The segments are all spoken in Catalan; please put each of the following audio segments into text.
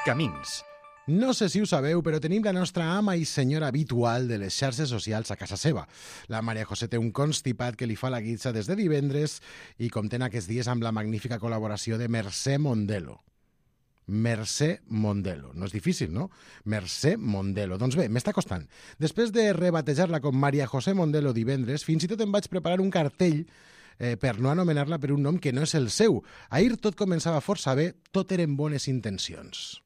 Camins. No sé si ho sabeu, però tenim la nostra ama i senyora habitual de les xarxes socials a casa seva. La Maria José té un constipat que li fa la guitza des de divendres i compten aquests dies amb la magnífica col·laboració de Mercè Mondelo. Mercè Mondelo. No és difícil, no? Mercè Mondelo. Doncs bé, m'està costant. Després de rebatejar-la com Maria José Mondelo divendres, fins i tot em vaig preparar un cartell per no anomenar-la per un nom que no és el seu. Ahir tot començava força bé, tot eren bones intencions.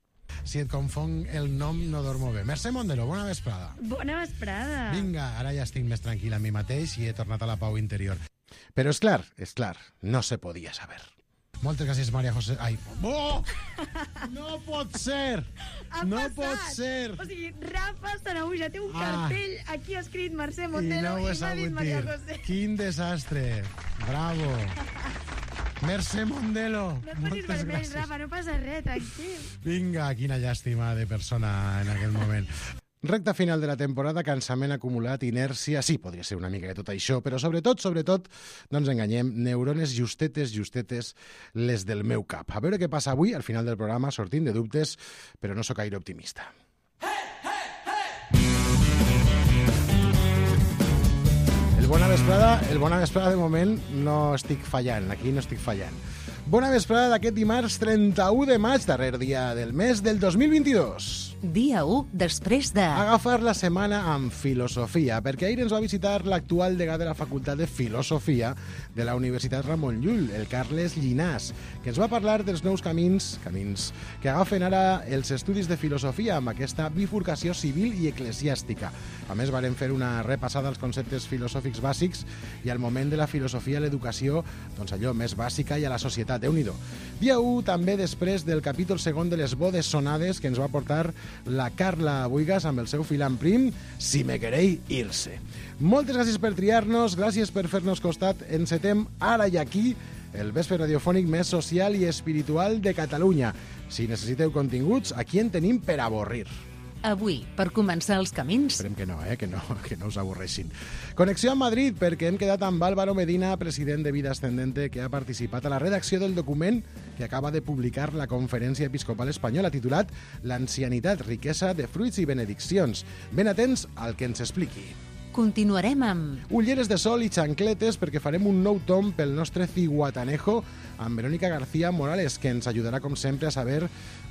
Si et confon el nom, no dormo bé. Mercè Mondelo, bona vesprada. Bona vesprada. Vinga, ara ja estic més tranquil a mi mateix i he tornat a la pau interior. Però és clar, no se podia saber. Moltes gràcies, Maria José. Ai, oh! No pot ser! No pot ser! O sigui, Rafa Sanahuja té un cartell aquí escrit Mercè Mondelo i m'ha dit Maria José. Quin desastre! Bravo! Mercè Mondelo! No et posis vermell, Rafa, no passa res, tranquil. Vinga, quina llàstima de persona en aquell moment. Recta final de la temporada, cansament acumulat, inèrcia... Sí, podria ser una mica de tot això, però sobretot, no ens enganyem, neurones justetes, les del meu cap. A veure què passa avui, al final del programa, sortint de dubtes, però no sóc gaire optimista. El bona vesprada de moment no estic fallant, aquí no estic fallant. Bona vesprada d'aquest dimarts 31 de maig, darrer dia del mes del 2022. Dia 1 després de... Agafar la setmana amb filosofia, perquè ahir ens va visitar l'actual degà de la Facultat de Filosofia de la Universitat Ramon Llull, el Carles Llinàs, que ens va parlar dels nous camins que agafen ara els estudis de filosofia amb aquesta bifurcació civil i eclesiàstica. A més, varen fer una repassada als conceptes filosòfics bàsics i al moment de la filosofia a l'educació, doncs allò més bàsica i a la societat. Déu-n'hi-do. Dia 1, també després del capítol segon de les bodes sonades que ens va portar la Carla Buigas amb el seu filant prim, Si me querei irse. Moltes gràcies per triar-nos, gràcies per fer-nos costat. Encetem ara i aquí el vespre radiofònic més social i espiritual de Catalunya. Si necessiteu continguts, aquí en tenim per avorrir. Avui, per començar els camins... Esperem que no us avorreixin. Connexió amb Madrid, perquè hem quedat amb Álvaro Medina, president de Vida Ascendente, que ha participat a la redacció del document que acaba de publicar la Conferència Episcopal Espanyola, titulat L'ancianitat, riquesa de fruits i benediccions. Ben atents al que ens expliqui. Continuarem amb... Ulleres de sol i xancletes, perquè farem un nou tom pel nostre ciguatanejo amb Verónica García Morales, que ens ajudarà, com sempre, a saber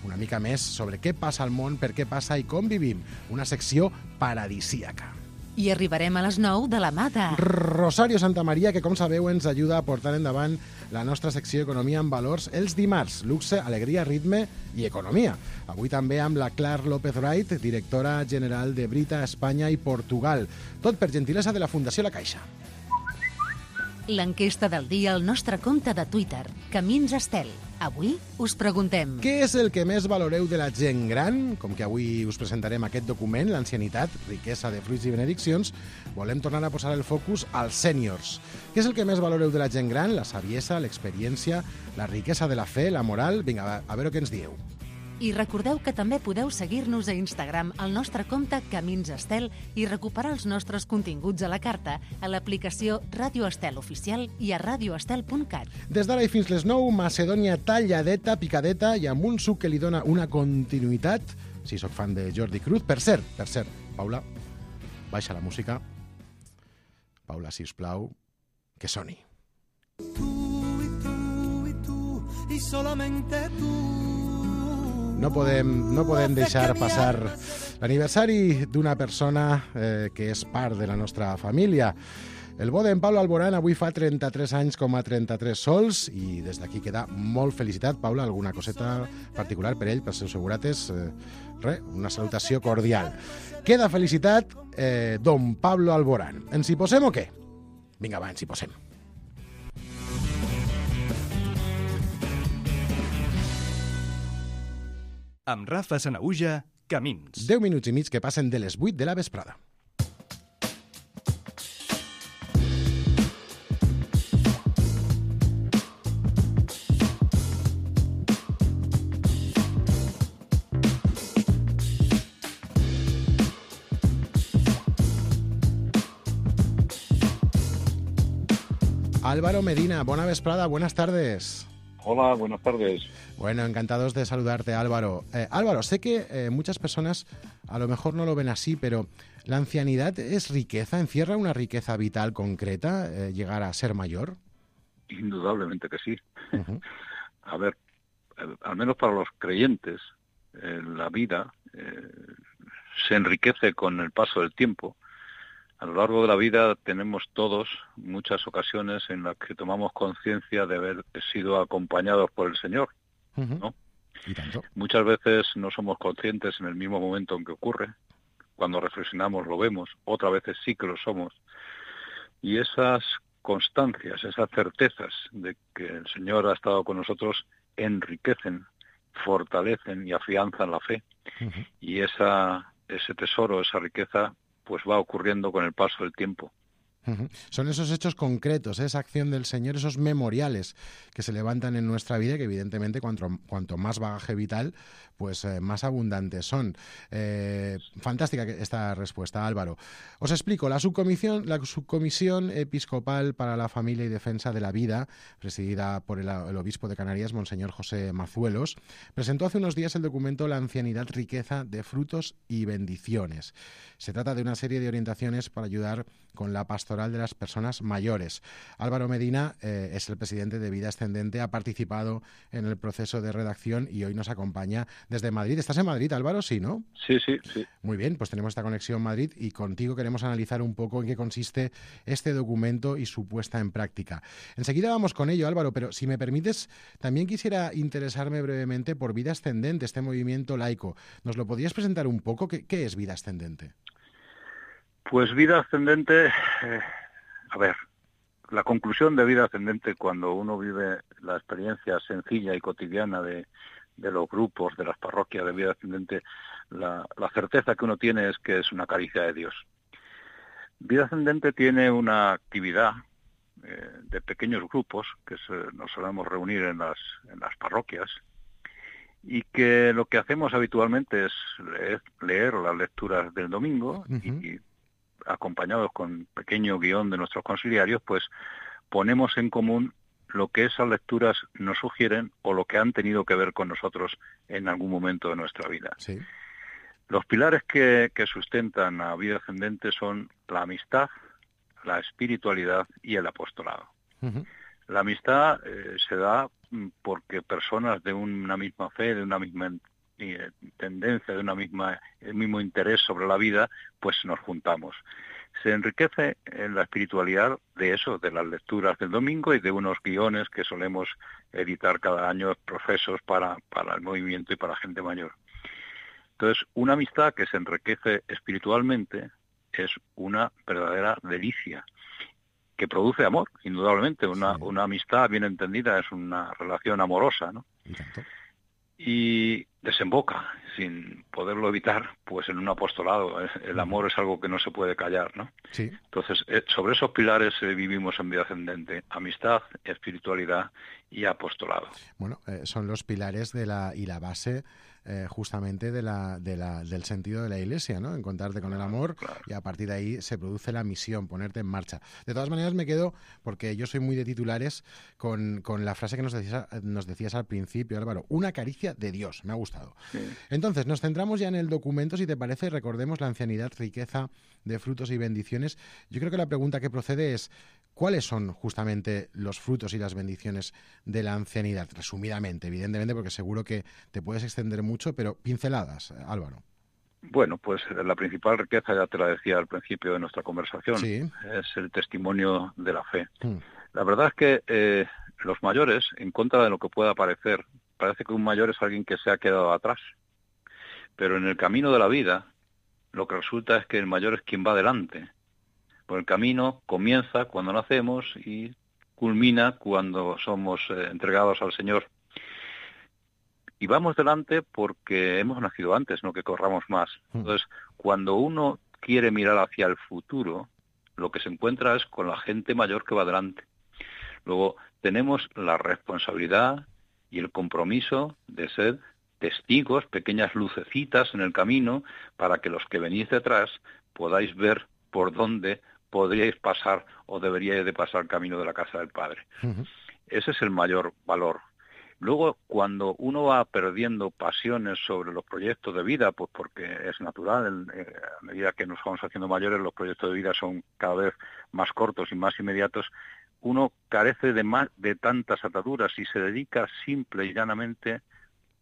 una mica més sobre què passa al món, per què passa i com vivim. Una secció paradisíaca. I arribarem a les 9 de la mà de... Rosario Santamaría, que, com sabeu, ens ajuda a portar endavant la nostra secció Economia amb valors els dimarts. Luxe, alegria, ritme i economia. Avui també amb la Clar López Wright, directora general de Brita, Espanya i Portugal. Tot per gentilesa de la Fundació La Caixa. L'enquesta del dia al nostre compte de Twitter, Camins Estel. Avui us preguntem... Què és el que més valoreu de la gent gran? Com que avui us presentarem aquest document, l'ancianitat, riquesa de fruits i benediccions, volem tornar a posar el focus als sèniors. Què és el que més valoreu de la gent gran? La saviesa, l'experiència, la riquesa de la fe, la moral... Vinga, a veure què ens dieu. I recordeu que també podeu seguir-nos a Instagram al nostre compte Camins Estel i recuperar els nostres continguts a la carta a l'aplicació Ràdio Estel Oficial i a radioestel.cat. Des d'ara i fins les 9, Macedònia talladeta, picadeta i amb un suc que li dona una continuïtat. Si sóc fan de Jordi Cruz. Per cert, Paula, baixa la música. Paula, sisplau, que soni. Y solamente tú. No podem deixar passar l'aniversari d'una persona que és part de la nostra família. El bo d'en Pablo Alborán avui fa 33 anys com a 33 sols i des d'aquí queda molt felicitat. Paula, alguna coseta particular per ell, pels seus segurates? Una salutació cordial. Queda felicitat don Pablo Alborán. Ens hi posem o què? Vinga, va, ens hi posem. Amb Rafa Sanahuja, Camins. 10 minuts i mig que passen de les 8 de la vesprada. Álvaro Medina, bona vesprada, buenas tardes. Hola, buenas tardes. Bueno, encantados de saludarte, Álvaro. Álvaro, sé que muchas personas a lo mejor no lo ven así, pero ¿la ancianidad es riqueza? ¿Encierra una riqueza vital concreta, llegar a ser mayor? Indudablemente que sí. Uh-huh. A ver, al menos para los creyentes, la vida se enriquece con el paso del tiempo. A lo largo de la vida tenemos todos muchas ocasiones en las que tomamos conciencia de haber sido acompañados por el Señor, Uh-huh. ¿no? ¿Y tanto? Muchas veces no somos conscientes en el mismo momento en que ocurre. Cuando reflexionamos lo vemos, otras veces sí que lo somos. Y esas constancias, esas certezas de que el Señor ha estado con nosotros enriquecen, fortalecen y afianzan la fe. Uh-huh. Y ese tesoro, esa riqueza, pues va ocurriendo con el paso del tiempo. Uh-huh. Son esos hechos concretos, esa acción del Señor, esos memoriales que se levantan en nuestra vida y que evidentemente cuanto más bagaje vital, pues más abundantes son. Fantástica esta respuesta, Álvaro. Os explico, la subcomisión episcopal para la familia y defensa de la vida, presidida por el obispo de Canarias, Monseñor José Mazuelos, presentó hace unos días el documento La ancianidad, riqueza de frutos y bendiciones. Se trata de una serie de orientaciones para ayudar con la pastoral de las personas mayores. Álvaro Medina es el presidente de Vida Ascendente, ha participado en el proceso de redacción y hoy nos acompaña desde Madrid. ¿Estás en Madrid, Álvaro? Sí, ¿no? Sí. Muy bien, pues tenemos esta conexión Madrid y contigo queremos analizar un poco en qué consiste este documento y su puesta en práctica. Enseguida vamos con ello, Álvaro, pero si me permites, también quisiera interesarme brevemente por Vida Ascendente, este movimiento laico. ¿Nos lo podrías presentar un poco? ¿Qué es Vida Ascendente? Pues Vida Ascendente, a ver, la conclusión de Vida Ascendente cuando uno vive la experiencia sencilla y cotidiana de los grupos, de las parroquias de Vida Ascendente, la certeza que uno tiene es que es una caricia de Dios. Vida Ascendente tiene una actividad de pequeños grupos que nos solemos reunir en las parroquias y que lo que hacemos habitualmente es leer las lecturas del domingo. Uh-huh. Y acompañados con pequeño guión de nuestros conciliarios, pues ponemos en común lo que esas lecturas nos sugieren o lo que han tenido que ver con nosotros en algún momento de nuestra vida. Sí. Los pilares que sustentan a Vida Ascendente son la amistad, la espiritualidad y el apostolado. Uh-huh. La amistad se da porque personas de una misma fe, de una misma tendencia, de el mismo interés sobre la vida, pues nos juntamos. Se enriquece en la espiritualidad de eso, de las lecturas del domingo y de unos guiones que solemos editar cada año profesos para el movimiento y para gente mayor. Entonces, una amistad que se enriquece espiritualmente es una verdadera delicia, que produce amor, indudablemente. Una amistad bien entendida es una relación amorosa, ¿no? Y desemboca, sin poderlo evitar, pues en un apostolado. El amor es algo que no se puede callar, ¿no? Sí. Entonces, sobre esos pilares vivimos en Vida Ascendente: amistad, espiritualidad y apostolado. Bueno, son los pilares y la base justamente del sentido de la Iglesia, ¿no? Encontrarte con el amor, claro. Y a partir de ahí se produce la misión, ponerte en marcha. De todas maneras me quedo, porque yo soy muy de titulares, con la frase que nos decías al principio, Álvaro, una caricia de Dios, me ha gustado. Sí. Entonces, nos centramos ya en el documento, si te parece, recordemos la ancianidad, riqueza de frutos y bendiciones. Yo creo que la pregunta que procede es, ¿cuáles son justamente los frutos y las bendiciones de la ancianidad? Resumidamente, evidentemente, porque seguro que te puedes extender mucho, pero pinceladas, Álvaro. Bueno, pues la principal riqueza, ya te la decía al principio de nuestra conversación, sí, es el testimonio de la fe. La verdad es que los mayores, en contra de lo que pueda parecer, parece que un mayor es alguien que se ha quedado atrás. Pero en el camino de la vida, lo que resulta es que el mayor es quien va adelante. Pues el camino comienza cuando nacemos y culmina cuando somos entregados al Señor. Y vamos delante porque hemos nacido antes, no que corramos más. Entonces, cuando uno quiere mirar hacia el futuro, lo que se encuentra es con la gente mayor que va delante. Luego, tenemos la responsabilidad y el compromiso de ser testigos, pequeñas lucecitas en el camino, para que los que venís detrás podáis ver por dónde podríais pasar o deberíais de pasar el camino de la casa del Padre. Uh-huh. Ese es el mayor valor. Luego, cuando uno va perdiendo pasiones sobre los proyectos de vida, pues porque es natural, a medida que nos vamos haciendo mayores, los proyectos de vida son cada vez más cortos y más inmediatos, uno carece de tantas ataduras y se dedica simple y llanamente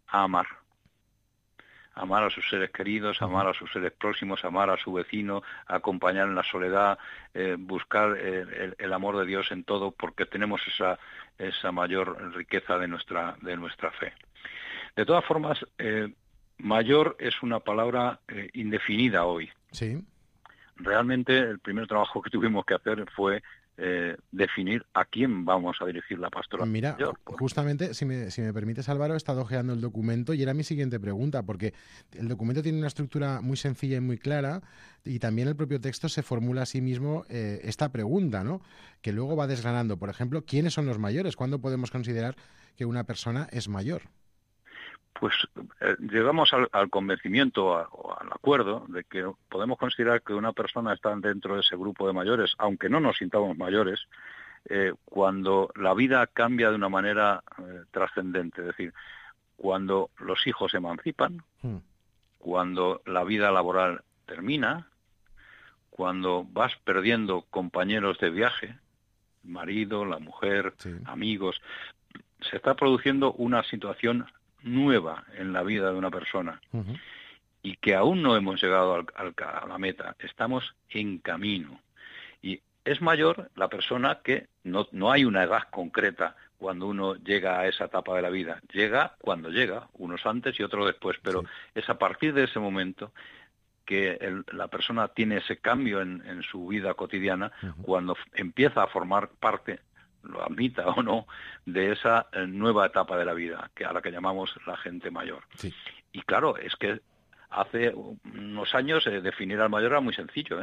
a amar. Amar a sus seres queridos, amar a sus seres próximos, amar a su vecino, acompañar en la soledad, buscar el amor de Dios en todo, porque tenemos esa mayor riqueza de nuestra fe. De todas formas, mayor es una palabra indefinida hoy. Sí. Realmente el primer trabajo que tuvimos que hacer fue definir a quién vamos a dirigir la pastoral. Mira, justamente, si me permites, Álvaro, he estado ojeando el documento y era mi siguiente pregunta, porque el documento tiene una estructura muy sencilla y muy clara, y también el propio texto se formula a sí mismo esta pregunta, ¿no?, que luego va desgranando. Por ejemplo, ¿quiénes son los mayores? ¿Cuándo podemos considerar que una persona es mayor? Pues llegamos al convencimiento o al acuerdo de que podemos considerar que una persona está dentro de ese grupo de mayores, aunque no nos sintamos mayores, cuando la vida cambia de una manera trascendente. Es decir, cuando los hijos se emancipan, cuando la vida laboral termina, cuando vas perdiendo compañeros de viaje, el marido, la mujer, sí, amigos, se está produciendo una situación nueva en la vida de una persona y que aún no hemos llegado a la meta, estamos en camino. Y es mayor la persona que no hay una edad concreta cuando uno llega a esa etapa de la vida. Llega cuando llega, unos antes y otros después, pero sí, es a partir de ese momento que la persona tiene ese cambio en su vida cotidiana, cuando empieza a formar parte, lo admita o no, de esa nueva etapa de la vida, a la que llamamos la gente mayor. Sí. Y claro, es que hace unos años definir al mayor era muy sencillo,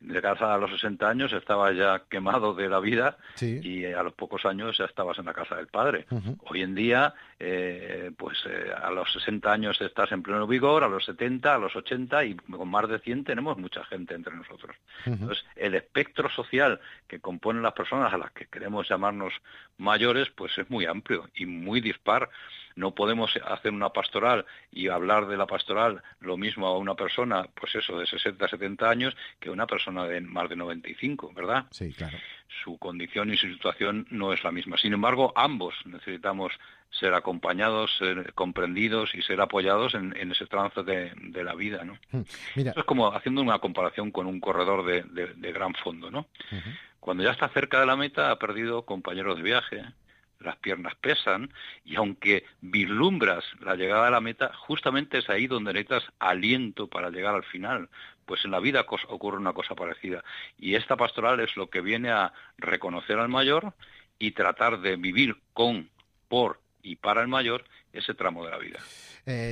Llegar a los 60 años estaba ya quemado de la vida, sí, y a los pocos años ya estabas en la casa del padre. Hoy en día, a los 60 años estás en pleno vigor, a los 70, a los 80 y con más de 100 tenemos mucha gente entre nosotros. Entonces, el espectro social que componen las personas a las que queremos llamarnos mayores, pues es muy amplio y muy dispar. No podemos hacer una pastoral y hablar de la pastoral lo mismo a una persona, pues eso, de 60, 70 años, que a una persona de más de 95, ¿verdad? Sí, claro. Su condición y su situación no es la misma. Sin embargo, ambos necesitamos ser acompañados, ser comprendidos y ser apoyados en ese trance de la vida, ¿no? Mira. Eso es como haciendo una comparación con un corredor de gran fondo, ¿no? Cuando ya está cerca de la meta, ha perdido compañeros de viaje, las piernas pesan, y aunque vislumbras la llegada a la meta, justamente es ahí donde necesitas aliento para llegar al final. Pues en la vida ocurre una cosa parecida. Y esta pastoral es lo que viene a reconocer al mayor y tratar de vivir con, por y para el mayor ese tramo de la vida.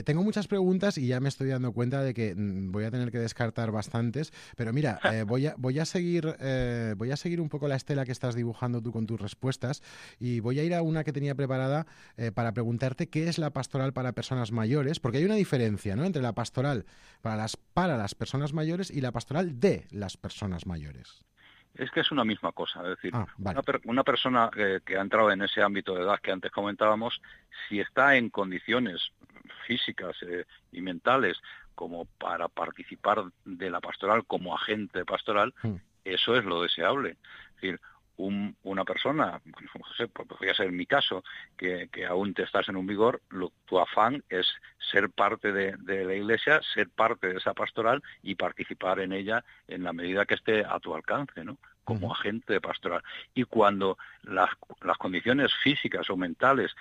Tengo muchas preguntas y ya me estoy dando cuenta de que voy a tener que descartar bastantes, pero mira, voy a seguir un poco la estela que estás dibujando tú con tus respuestas, y voy a ir a una que tenía preparada para preguntarte qué es la pastoral para personas mayores, porque hay una diferencia, ¿no?, entre la pastoral para las personas mayores y la pastoral de las personas mayores. Es que es una misma cosa, es decir, vale, una persona que ha entrado en ese ámbito de edad que antes comentábamos, si está en condiciones físicas y mentales como para participar de la pastoral como agente pastoral, eso es lo deseable. Es decir, una persona, no sé, podría ser mi caso, que aún te estás en un vigor, tu afán es ser parte de la Iglesia, ser parte de esa pastoral y participar en ella en la medida que esté a tu alcance, ¿no?, como agente pastoral. Y cuando las condiciones físicas o mentales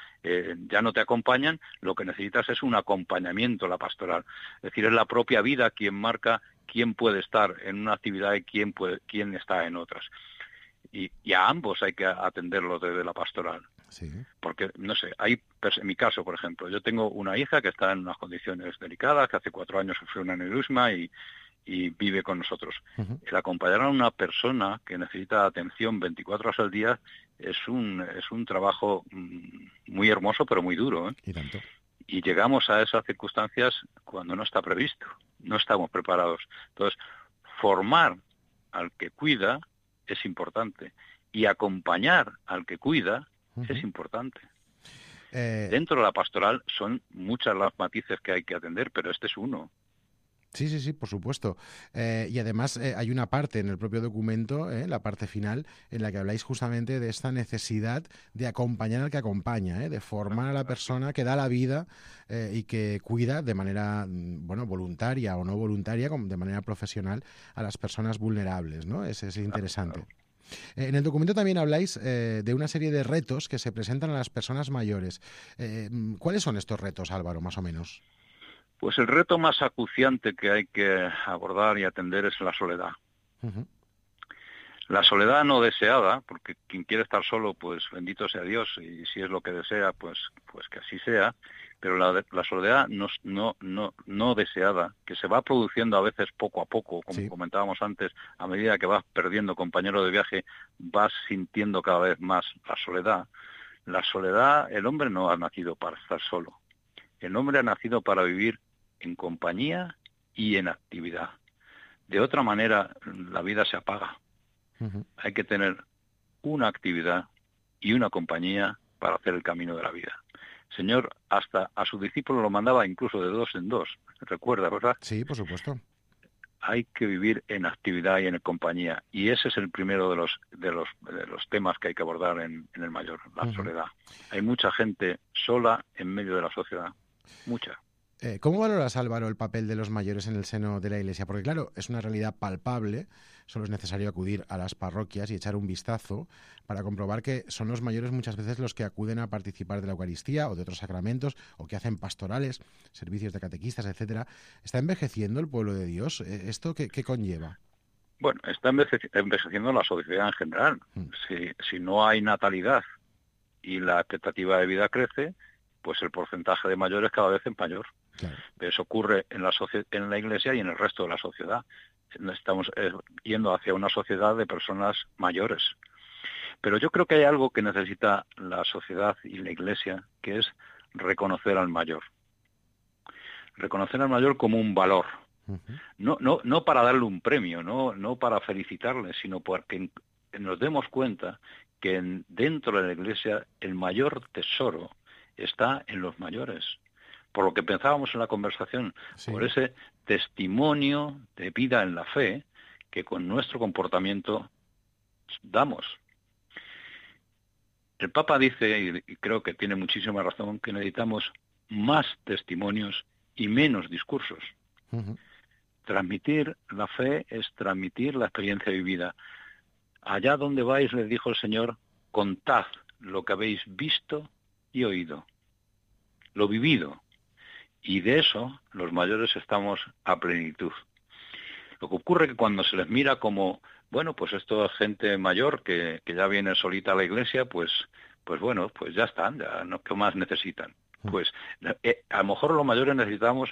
ya no te acompañan, lo que necesitas es un acompañamiento a la pastoral. Es decir, es la propia vida quien marca quién puede estar en una actividad y quién está en otras. Y a ambos hay que atenderlos desde la pastoral. Sí. Porque, no sé, en mi caso, por ejemplo, yo tengo una hija que está en unas condiciones delicadas, que hace 4 años sufrió un aneurisma y vive con nosotros. El acompañar a una persona que necesita atención 24 horas al día es un trabajo muy hermoso, pero muy duro, ¿eh? Y tanto. Y llegamos a esas circunstancias cuando no está previsto, no estamos preparados. Entonces, formar al que cuida es importante y acompañar al que cuida es importante. Dentro de la pastoral son muchas las matices que hay que atender, pero este es uno. Sí, por supuesto. Y además hay una parte en el propio documento, la parte final, en la que habláis justamente de esta necesidad de acompañar al que acompaña, de formar a la persona que da la vida y que cuida de manera voluntaria o no voluntaria, de manera profesional, a las personas vulnerables, ¿no? Es interesante. Claro. En el documento también habláis de una serie de retos que se presentan a las personas mayores. ¿Cuáles son estos retos, Álvaro, más o menos? Pues el reto más acuciante que hay que abordar y atender es la soledad. Uh-huh. La soledad no deseada, porque quien quiere estar solo, pues bendito sea Dios, y si es lo que desea, pues que así sea, pero la soledad no deseada, que se va produciendo a veces poco a poco, como comentábamos antes, a medida que vas perdiendo compañeros de viaje, vas sintiendo cada vez más la soledad. La soledad, el hombre no ha nacido para estar solo. El hombre ha nacido para vivir en compañía y en actividad. De otra manera, la vida se apaga. Uh-huh. Hay que tener una actividad y una compañía para hacer el camino de la vida. El Señor hasta a sus discípulos lo mandaba incluso de dos en dos. ¿Recuerda, verdad? Sí, por supuesto. Hay que vivir en actividad y en compañía. Y ese es el primero de los temas que hay que abordar en el mayor, la soledad. Hay mucha gente sola en medio de la sociedad. Mucha. ¿Cómo valoras, Álvaro, el papel de los mayores en el seno de la Iglesia? Porque, claro, es una realidad palpable, solo es necesario acudir a las parroquias y echar un vistazo para comprobar que son los mayores muchas veces los que acuden a participar de la Eucaristía o de otros sacramentos, o que hacen pastorales, servicios de catequistas, etcétera. ¿Está envejeciendo el pueblo de Dios? ¿Esto qué conlleva? Bueno, está envejeciendo la sociedad en general. Si no hay natalidad y la expectativa de vida crece, pues el porcentaje de mayores cada vez es mayor. Claro. Eso ocurre en la Iglesia y en el resto de la sociedad. Estamos yendo hacia una sociedad de personas mayores. Pero yo creo que hay algo que necesita la sociedad y la Iglesia, que es reconocer al mayor. Reconocer al mayor como un valor. Uh-huh. No para darle un premio, no para felicitarle, sino porque nos demos cuenta que dentro de la Iglesia el mayor tesoro está en los mayores. Por lo que pensábamos en la conversación, por ese testimonio de vida en la fe que con nuestro comportamiento damos. El Papa dice, y creo que tiene muchísima razón, que necesitamos más testimonios y menos discursos. Uh-huh. Transmitir la fe es transmitir la experiencia vivida. Allá donde vais, les dijo el Señor, contad lo que habéis visto y oído, lo vivido. Y de eso los mayores estamos a plenitud. Lo que ocurre es que cuando se les mira como, bueno, pues esto es gente mayor que ya viene solita a la iglesia, pues bueno, pues ya están, ya no, ¿qué más necesitan? Pues a lo mejor los mayores necesitamos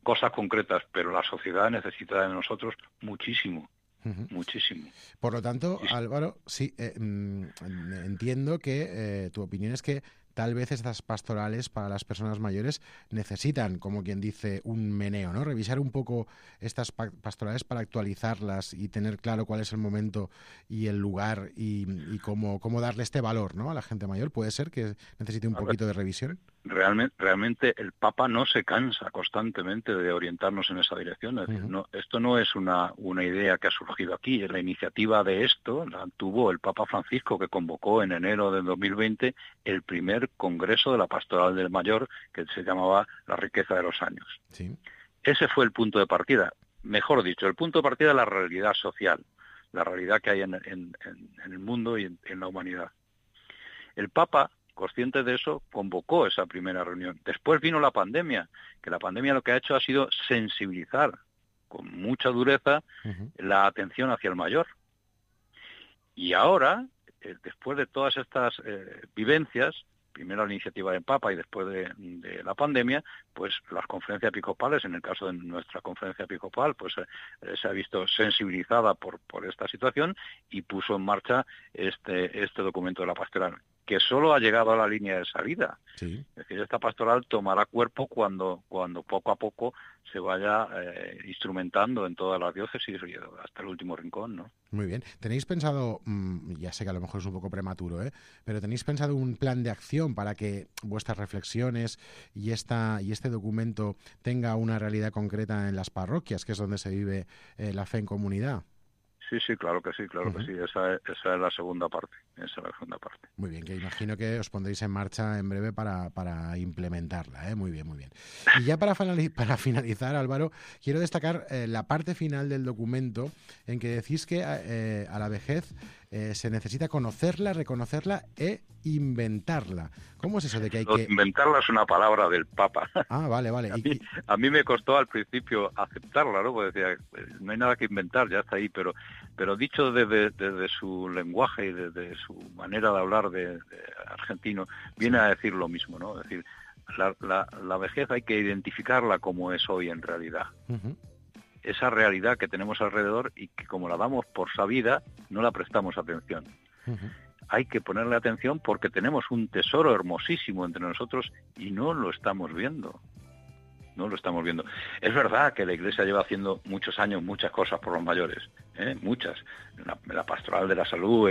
cosas concretas, pero la sociedad necesita de nosotros muchísimo. Uh-huh. Muchísimo. Por lo tanto, Álvaro, sí, entiendo que tu opinión es que tal vez estas pastorales para las personas mayores necesitan, como quien dice, un meneo, ¿no? Revisar un poco estas pastorales para actualizarlas y tener claro cuál es el momento y el lugar y cómo darle este valor, ¿no? A la gente mayor. ¿Puede ser que necesite un poquito de revisión? Realmente el Papa no se cansa constantemente de orientarnos en esa dirección. Es decir, esto no es una idea que ha surgido aquí. La iniciativa de esto la tuvo el Papa Francisco, que convocó en enero del 2020 el primer Congreso de la Pastoral del Mayor, que se llamaba La riqueza de los años. Sí. Ese fue el punto de partida. Mejor dicho, el punto de partida de la realidad social, la realidad que hay en el mundo y en la humanidad. El Papa, consciente de eso, convocó esa primera reunión. Después vino la pandemia, que la pandemia lo que ha hecho ha sido sensibilizar con mucha dureza la atención hacia el mayor. Y ahora, después de todas estas vivencias, primero la iniciativa del Papa y después de la pandemia, pues las conferencias episcopales, en el caso de nuestra conferencia episcopal, pues se ha visto sensibilizada por esta situación y puso en marcha este documento de la pastoral. que solo ha llegado a la línea de salida. Sí. Es decir, esta pastoral tomará cuerpo cuando poco a poco se vaya instrumentando en todas las diócesis hasta el último rincón, ¿no? Muy bien. ¿Tenéis pensado, ya sé que a lo mejor es un poco prematuro, pero tenéis pensado un plan de acción para que vuestras reflexiones y este documento tenga una realidad concreta en las parroquias, que es donde se vive la fe en comunidad? Sí, claro que sí, que sí. Esa es la segunda parte. Muy bien, que imagino que os pondréis en marcha en breve para implementarla, ¿eh? Muy bien. Y ya para finalizar, Álvaro, quiero destacar la parte final del documento en que decís que a la vejez se necesita conocerla, reconocerla e inventarla. ¿Cómo es eso de que hay que...? Inventarla es una palabra del Papa. Ah, vale. A mí me costó al principio aceptarla, ¿no? Porque decía, no hay nada que inventar, ya está ahí, pero dicho desde su lenguaje y desde su manera de hablar de argentino, viene a decir lo mismo, ¿no? Es decir, la vejez hay que identificarla como es hoy en realidad. Uh-huh. Esa realidad que tenemos alrededor y que como la damos por sabida, no la prestamos atención. Uh-huh. Hay que ponerle atención porque tenemos un tesoro hermosísimo entre nosotros y no lo estamos viendo. Es verdad que la Iglesia lleva haciendo muchos años muchas cosas por los mayores, muchas. La Pastoral de la Salud,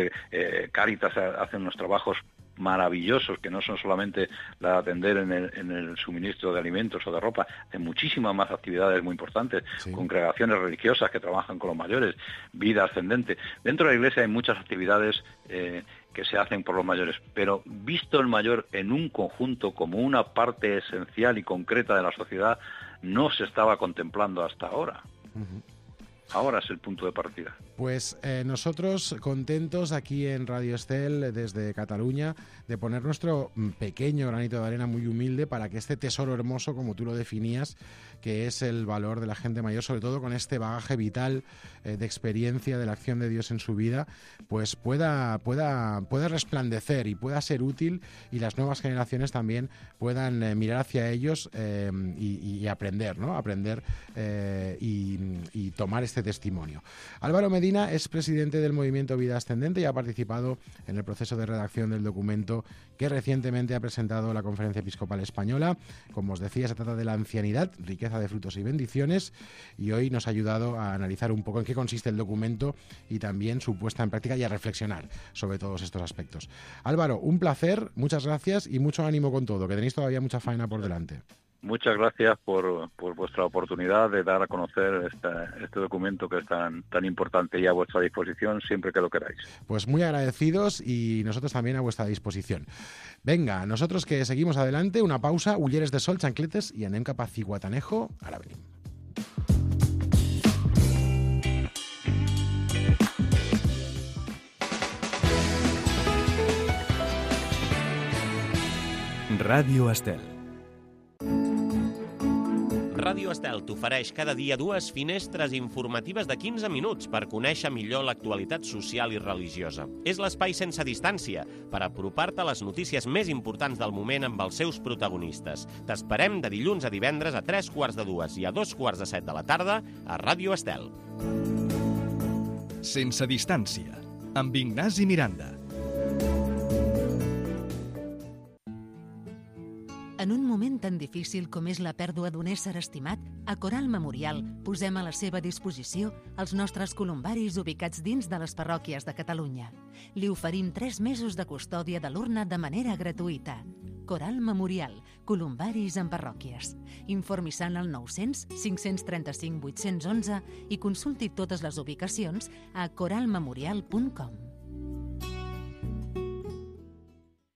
Cáritas hace unos trabajos maravillosos que no son solamente la de atender en el suministro de alimentos o de ropa, de muchísimas más actividades muy importantes, sí. Congregaciones religiosas que trabajan con los mayores, vida ascendente. Dentro de la Iglesia hay muchas actividades que se hacen por los mayores, pero visto el mayor en un conjunto como una parte esencial y concreta de la sociedad, no se estaba contemplando hasta ahora. Uh-huh. Ahora es el punto de partida. Pues nosotros contentos aquí en Radio Estel, desde Cataluña, de poner nuestro pequeño granito de arena muy humilde para que este tesoro hermoso, como tú lo definías, que es el valor de la gente mayor, sobre todo con este bagaje vital de experiencia de la acción de Dios en su vida, pues pueda resplandecer y pueda ser útil, y las nuevas generaciones también puedan mirar hacia ellos y aprender, ¿no? Y tomar este testimonio. Álvaro Medina es presidente del Movimiento Vida Ascendente y ha participado en el proceso de redacción del documento que recientemente ha presentado la Conferencia Episcopal Española. Como os decía, se trata de la ancianidad, riqueza de frutos y bendiciones, y hoy nos ha ayudado a analizar un poco en qué consiste el documento y también su puesta en práctica y a reflexionar sobre todos estos aspectos. Álvaro, un placer, muchas gracias y mucho ánimo con todo, que tenéis todavía mucha faena por delante. Muchas gracias por vuestra oportunidad de dar a conocer este documento que es tan importante y a vuestra disposición siempre que lo queráis. Pues muy agradecidos y nosotros también a vuestra disposición. Venga, nosotros que seguimos adelante, una pausa, ulleres de sol, chancletes y anem cap a Cihuatanejo. Ara venim. Ràdio Estel. Ràdio Estel t'ofereix cada dia 2 finestres informatives de 15 minuts per conèixer millor l'actualitat social i religiosa. És l'espai sense distància per apropar-te a les notícies més importants del moment amb els seus protagonistes. T'esperem de dilluns a divendres a 3:45 i a 2:45 de la tarda a Ràdio Estel. Sense distància, amb Ignasi Miranda. En un moment tan difícil com és la pèrdua d'un ésser estimat, a Coral Memorial posem a la seva disposició els nostres columbaris ubicats dins de les parròquies de Catalunya. Li oferim 3 mesos de custòdia de l'urna de manera gratuïta. Coral Memorial, columbaris en parròquies. Informi-se al 900 535 811 i consulti totes les ubicacions a coralmemorial.com.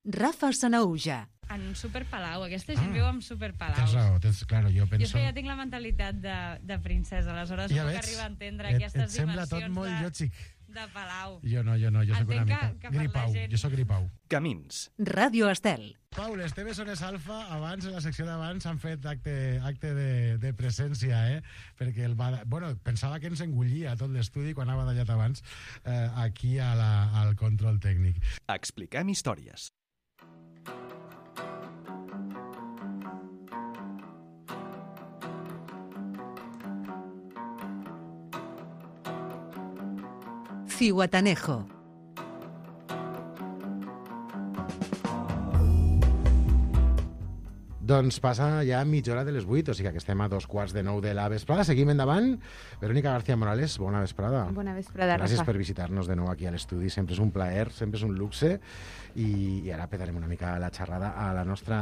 Rafa Sanahuja. En un superpalau, aquesta gent viu en superpalaus. Tens raó, claro, jo penso... Jo és que ja tinc la mentalitat de princesa, aleshores ja no puc arribar a entendre aquestes dimensions de palau. Jo no, jo soc una mica gripau, jo soc gripau. Camins. Ràdio Estel. Pau, les teves hores alfa, abans, en la secció d'abans, han fet acte de presència, perquè pensava que ens engullia tot l'estudi quan anava d'allà abans, aquí al control tècnic. Expliquem històries. Cihuatanejo. Doncs passa ja mitja hora de les 8, o sigui que estem a 2:15 de la vesprada. Seguim endavant. Verónica García Morales, bona vesprada. Bona vesprada, Rafa. Gràcies per visitar-nos de nou aquí a l'estudi. Sempre és un plaer, sempre és un luxe. I ara petarem una mica la xerrada al nostre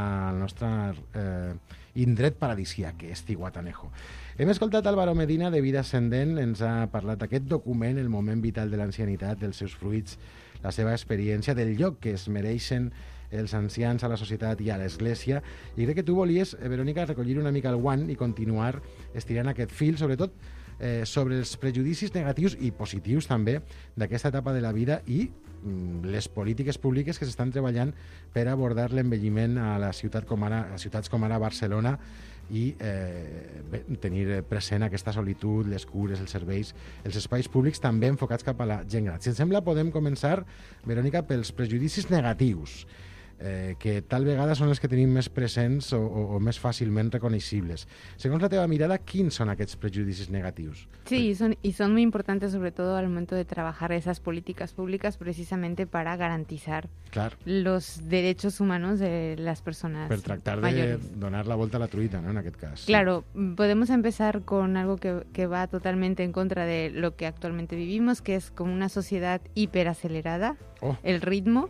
indret paradisíac, que és Zihuatanejo. Hem escoltat Álvaro Medina, de Vida Ascendent. Ens ha parlat d'aquest document, el moment vital de l'ancianitat, dels seus fruits, la seva experiència, del lloc que es mereixen els ancians a la societat i a l'Església. I crec que tu volies, Verónica, recollir una mica el guant i continuar estirant aquest fil, sobretot sobre els prejudicis negatius i positius també d'aquesta etapa de la vida i les polítiques públiques que s'estan treballant per abordar l'envelliment a ciutats com ara Barcelona i tenir present aquesta solitud, les cures, els serveis, els espais públics també enfocats cap a la gent gran. Si et sembla, podem començar, Verónica, pels prejudicis negatius, que tal vegada són els que tenim més presents o més fàcilment reconeixibles. Segons la teva mirada, quins son aquests prejudicis negatius? Sí, y son muy importantes, sobre todo al momento de trabajar esas políticas públicas, precisamente para garantizar los derechos humanos de las personas per tractar mayores. De donar la volta a la truita, ¿no?, en aquest cas. Claro, podemos empezar con algo que va totalmente en contra de lo que actualmente vivimos, que es como una sociedad hiperacelerada, el ritmo.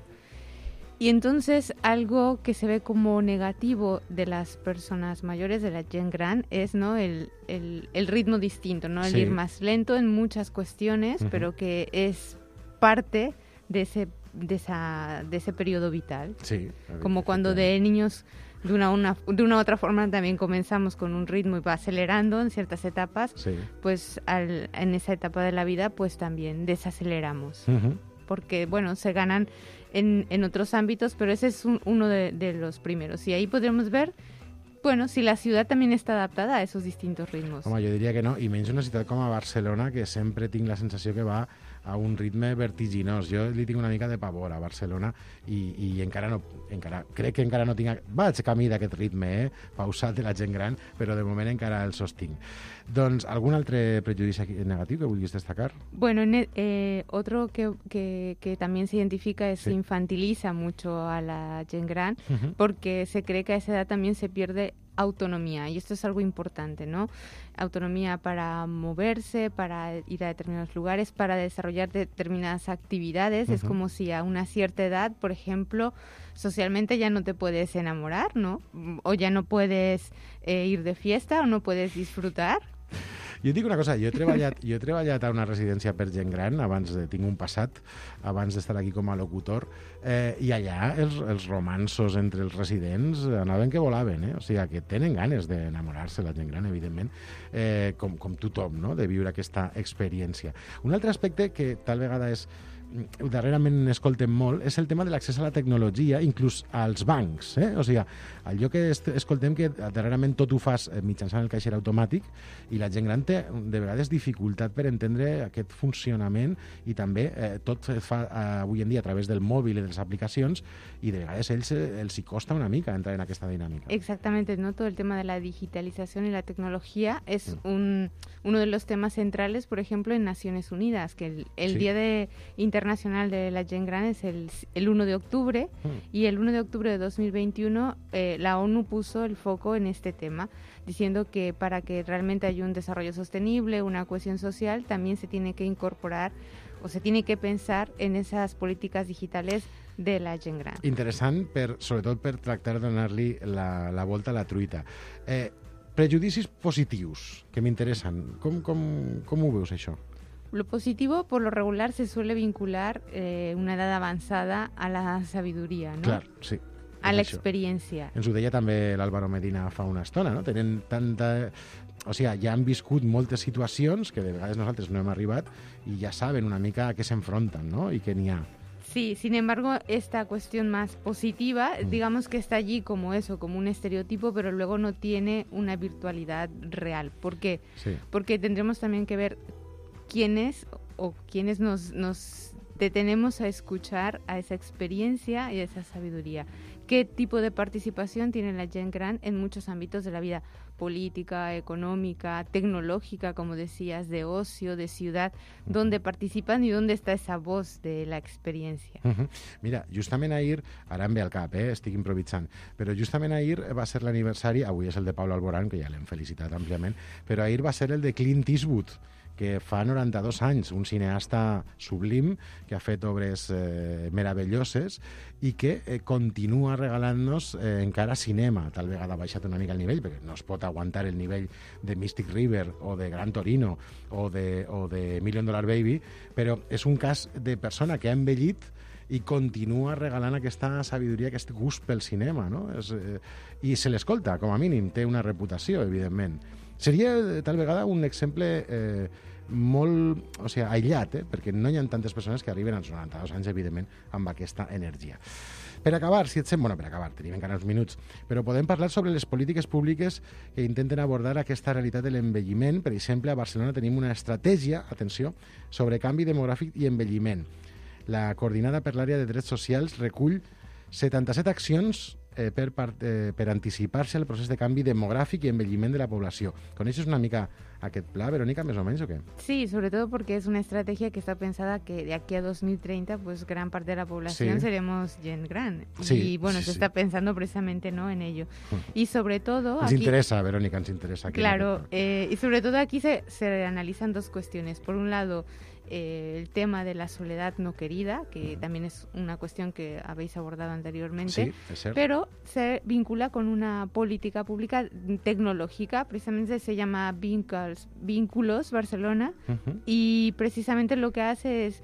Y entonces algo que se ve como negativo de las personas mayores, de la gent gran, es, ¿no?, el ritmo distinto, ¿no? El ir más lento en muchas cuestiones, pero que es parte de ese periodo vital. Sí, como cuando de niños de una u otra forma también comenzamos con un ritmo y va acelerando en ciertas etapas, pues en esa etapa de la vida pues también desaceleramos. Porque, bueno, se ganan en otros ámbitos, pero ese es uno de los primeros. Y ahí podremos ver, bueno, si la ciudad también está adaptada a esos distintos ritmos. Home, jo diria que no, i menys una ciutat com a Barcelona, que sempre tinc la sensació que va a un ritme vertiginós. Jo li tinc una mica de pavor a Barcelona i crec que encara no tinc... Vaig camí d'aquest ritme, pausat de la gent gran, però de moment encara el sostinc. Doncs, algun altre prejudici negatiu que vulguis destacar? Bueno, otro que también se identifica es que infantiliza mucho a la gent gran, porque se cree que a esa edad también se pierde autonomía, y esto es algo importante, ¿no? Autonomía para moverse, para ir a determinados lugares, para desarrollar determinadas actividades. Es como si a una cierta edad, por ejemplo, socialmente ya no te puedes enamorar, ¿no? O ya no puedes ir de fiesta o no puedes disfrutar. Jo et dic una cosa, jo he treballat a una residència per gent gran, tinc un passat, abans d'estar aquí com a locutor, i allà els romanços entre els residents anaven que volaven, o sigui que tenen ganes d'enamorar-se la gent gran, evidentment, com tothom, no?, de viure aquesta experiència. Un altre aspecte que tal vegada darrerament escoltem molt és el tema de l'accés a la tecnologia, inclús als bancs, o sigui, allò que escoltem que darrerament tot ho fas mitjançant el caixer automàtic i la gent gran té de vegades dificultat per entendre aquest funcionament i també tot es fa avui en dia a través del mòbil i de les aplicacions i de vegades els hi costa una mica entrar en aquesta dinàmica. Exactamente, ¿no? Todo el tema de la digitalización y la tecnología es uno de los temas centrales, por ejemplo, en Naciones Unidas, que el Día Internacional de la Gent Gran es el 1 de octubre y el 1 de octubre de 2021 la ONU puso el foco en este tema, diciendo que para que realmente haya un desarrollo sostenible, una cohesión social, también se tiene que incorporar o se tiene que pensar en esas políticas digitales de la gent gran. Interessant, sobretot per tractar de donar-li la volta a la truita. Prejudicis positius, que m'interessen. Com ho veus, això? Lo positivo, por lo regular, se suele vincular una edad avanzada a la sabiduría, ¿no? Clar, sí. A la experiència. Ens ho deia també l'Álvaro Medina fa una estona, no? Tenen tanta... O sigui, ja han viscut moltes situacions que de vegades nosaltres no hem arribat i ja saben una mica a què s'enfronten, ¿no? I què n'hi ha. Sí, sin embargo, esta cuestión más positiva, digamos que está allí como eso, como un estereotipo, pero luego no tiene una virtualidad real. ¿Por qué? Sí. Porque tendremos también que ver quiénes nos detenemos a escuchar a esa experiencia y a esa sabiduría. ¿Qué tipo de participación tiene la gent gran en muchos ámbitos de la vida? Política, económica, tecnológica, como decías, de ocio, de ciudad, ¿dónde participan y dónde está esa voz de la experiencia? Mira, justament ahir, ara em ve al cap, estic improvisant, però justament ahir va ser l'aniversari, avui és el de Pablo Alborán, que ja l'hem felicitat àmpliament, però ahir va ser el de Clint Eastwood, que fa 92 anys, un cineasta sublim que ha fet obres meravelloses i que continua regalant-nos encara cinema. Tal vegada ha baixat una mica el nivell, perquè no es pot aguantar el nivell de Mystic River o de Gran Torino o de Million Dollar Baby, però és un cas de persona que ha envellit i continua regalant aquesta sabidoria, aquest gust pel cinema, no? I se l'escolta, com a mínim, té una reputació, evidentment. Seria, tal vegada, un exemple molt, aïllat, perquè no hi ha tantes persones que arriben als 92 anys, evidentment, amb aquesta energia. Per acabar, si et sembla, tenim encara uns minuts, però podem parlar sobre les polítiques públiques que intenten abordar aquesta realitat de l'envelliment. Per exemple, a Barcelona tenim una estratègia, atenció, sobre canvi demogràfic i envelliment. La Coordinada per l'Àrea de Drets Socials recull 77 accions per anticipar-se al procés de canvi demográfico y envelliment de la población. ¿Coneixes una mica aquest pla, Verónica, més o menos, o qué? Sí, sobre todo porque es una estrategia que está pensada que de aquí a 2030, pues gran parte de la población seremos gent gran. Sí, y bueno, se está pensando precisamente, ¿no?, en ello. Y sobre todo... Nos interesa, Verónica, nos interesa. Claro, y sobre todo aquí se analizan dos cuestiones. Por un lado, el tema de la soledad no querida, que también es una cuestión que habéis abordado anteriormente, pero se vincula con una política pública tecnológica, precisamente se llama Vínculos Barcelona, y precisamente lo que hace es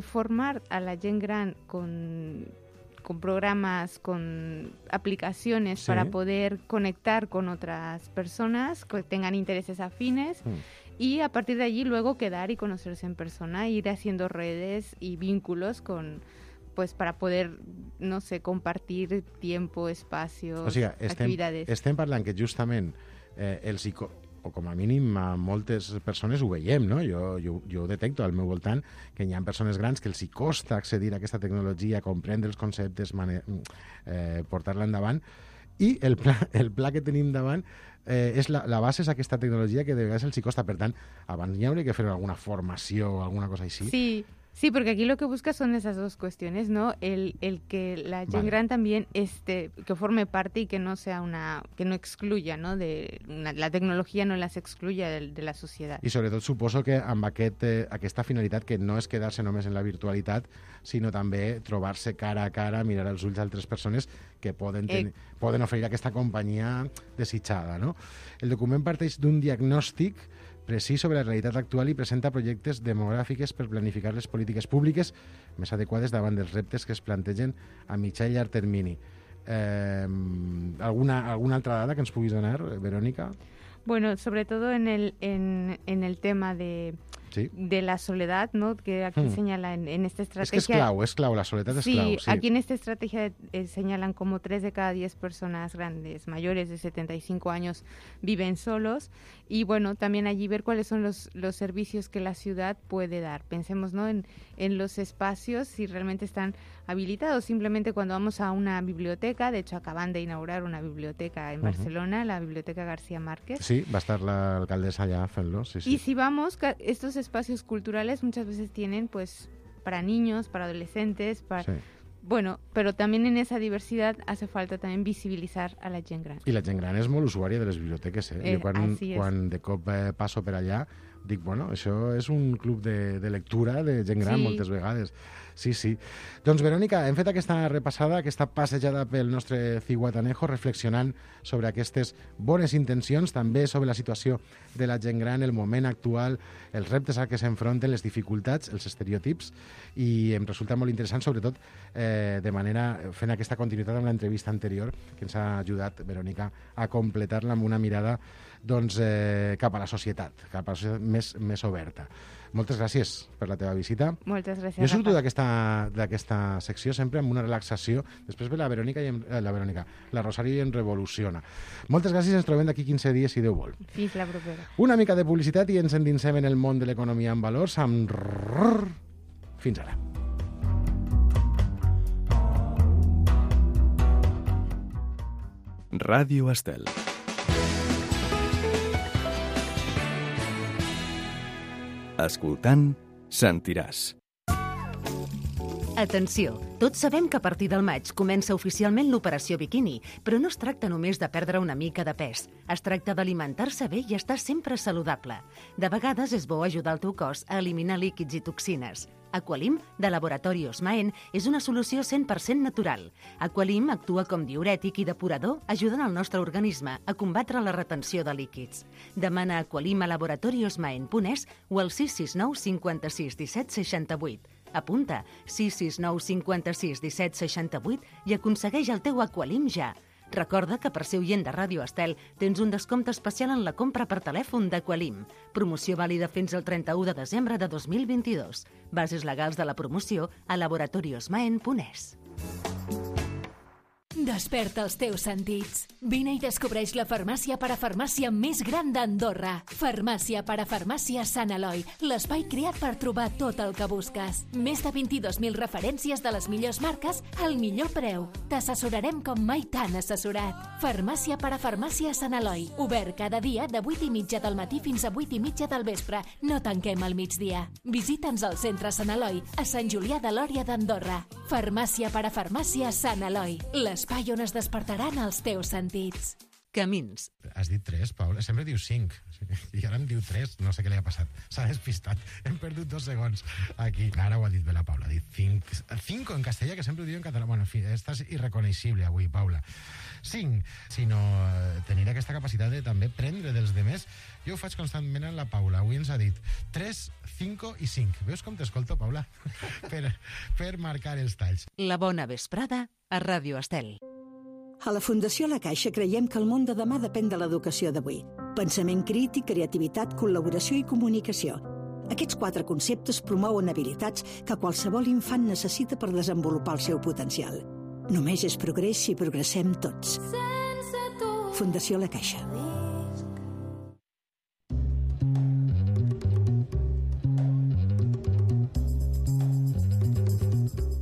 formar a la gent gran con programas, con aplicaciones para poder conectar con otras personas que tengan intereses afines, y a partir de allí luego quedar y conocerse en persona, ir haciendo redes y vínculos pues para poder, no sé, compartir tiempo, espacios, actividades. Estem parlant que justament o com a mínim a moltes persones ho veiem, no? Jo ho detecto al meu voltant, que hi ha persones grans que els hi costa accedir a aquesta tecnologia, comprendre els conceptes, portar-la endavant, i el pla que tenim davant la base és aquesta tecnologia que de vegades els hi costa. Per tant, abans hi hauria que fer alguna formació o alguna cosa així. Sí, porque aquí lo que busca son esas dos cuestiones, ¿no? El que la gent gran también que forme parte y que no sea que no excluya, ¿no? La tecnología no las excluya de la societat. I sobretot suposo que amb aquesta finalitat, que no és quedar-se només en la virtualitat, sinó també trobar-se cara a cara, mirar als ulls d'altres persones que poden oferir aquesta companyia desitjada, no? El document parteix d'un diagnòstic precís sobre la realitat actual i presenta projectes demogràfics per planificar les polítiques públiques més adequades davant dels reptes que es plantegen a mitjà i llarg termini. Alguna altra dada que ens puguis donar, Verónica? Bueno, sobre todo en el tema de la soledad, ¿no?, que aquí señalan en esta estrategia. Es que es clau, la soledad es clau. Sí, aquí en esta estrategia señalan como 3 de cada 10 personas grandes, mayores de 75 años, viven solos. Y bueno, también allí ver cuáles son los servicios que la ciudad puede dar. Pensemos, ¿no?, en los espacios, si realmente están habilitados. Simplemente cuando vamos a una biblioteca, de hecho acaban de inaugurar una biblioteca en Barcelona, la Biblioteca García Márquez. Sí, va a estar la alcaldesa allá haciendo. Sí. Y si vamos, estos espacios culturales muchas veces tienen pues para niños, para adolescentes, bueno, pero también en esa diversidad hace falta también visibilitzar a la gent gran. I la gent gran és molt usuària de les biblioteques, Jo quan de cop passo per allà dic, bueno, això és un club de lectura de gent gran moltes vegades. Sí. Doncs, Verónica, hem fet aquesta repassada, aquesta passejada pel nostre Zihuatanejo, reflexionant sobre aquestes bones intencions, també sobre la situació de la gent gran, el moment actual, els reptes a què s'enfronten, les dificultats, els estereotips, i em resulta molt interessant, sobretot, fent aquesta continuïtat amb l'entrevista anterior, que ens ha ajudat, Verónica, a completar-la amb una mirada cap a la societat, més oberta. Moltes gràcies per la teva visita. Moltes gràcies. Jo surto d'aquesta secció sempre amb una relaxació. Després ve la Verónica, la Rosario i em revoluciona. Moltes gràcies, ens trobem d'aquí 15 dies, si Déu vol. Fins la propera. Una mica de publicitat i ens endinsem en el món de l'economia en valors amb Fins ara. Ràdio Estel. Escoltant, sentiràs. Atenció, tots sabem que a partir del maig comença oficialment l'operació biquini, però no es tracta només de perdre una mica de pes. Es tracta d'alimentar-se bé i estar sempre saludable. De vegades és bo ajudar el teu cos a eliminar líquids i toxines. Aqualim, de Laboratori Osmaen, és una solució 100% natural. Aqualim actua com diürètic i depurador, ajudant el nostre organisme a combatre la retenció de líquids. Demana Aqualim a laboratoriosmaen.es o al 669 56 17 68. Apunta 669 56 17 68 i aconsegueix el teu Aqualim ja. Recorda que per ser oient de Ràdio Estel tens un descompte especial en la compra per telèfon d'Aqualim. Promoció vàlida fins al 31 de desembre de 2022. Bases legals de la promoció a laboratoriosmaen.es. Desperta els teus sentits. Vine i descobreix la farmàcia parafarmàcia més gran d'Andorra. Farmàcia parafarmàcia Sant Eloi, l'espai creat per trobar tot el que busques. Més de 22.000 referències de les millors marques al millor preu. T'assessorarem com mai t'han assessorat. Farmàcia parafarmàcia Sant Eloi. Obert cada dia de 8:30 del matí fins a 8:30 del vespre. No tanquem al migdia. Visita'ns al centre Sant Eloi, a Sant Julià de Lòria d'Andorra. Farmàcia parafarmàcia Sant Eloi. L'espai on es despertaran els teus sentits. Camins. Has dit 3, Paula? Sempre diu 5. I ara em diu 3. No sé què li ha passat. S'ha despistat. Hem perdut 2 segons aquí. Ara ho ha dit bé la Paula. Ha dit 5 en castellà, que sempre ho diu en català. Bueno, en fi, estàs irreconeixible avui, Paula. 5, sinó tenir aquesta capacitat de també prendre dels demés. Jo ho faig constantment en la Paula. Avui ens ha dit 3, 5 i 5. Veus com t'escolto, Paula? per marcar els talls. La bona vesprada a Ràdio Estel. A la Fundació La Caixa creiem que el món de demà depèn de l'educació d'avui. Pensament crític, creativitat, col·laboració i comunicació. Aquests 4 conceptes promouen habilitats que qualsevol infant necessita per desenvolupar el seu potencial. Només és progrés si progressem tots. Fundació La Caixa.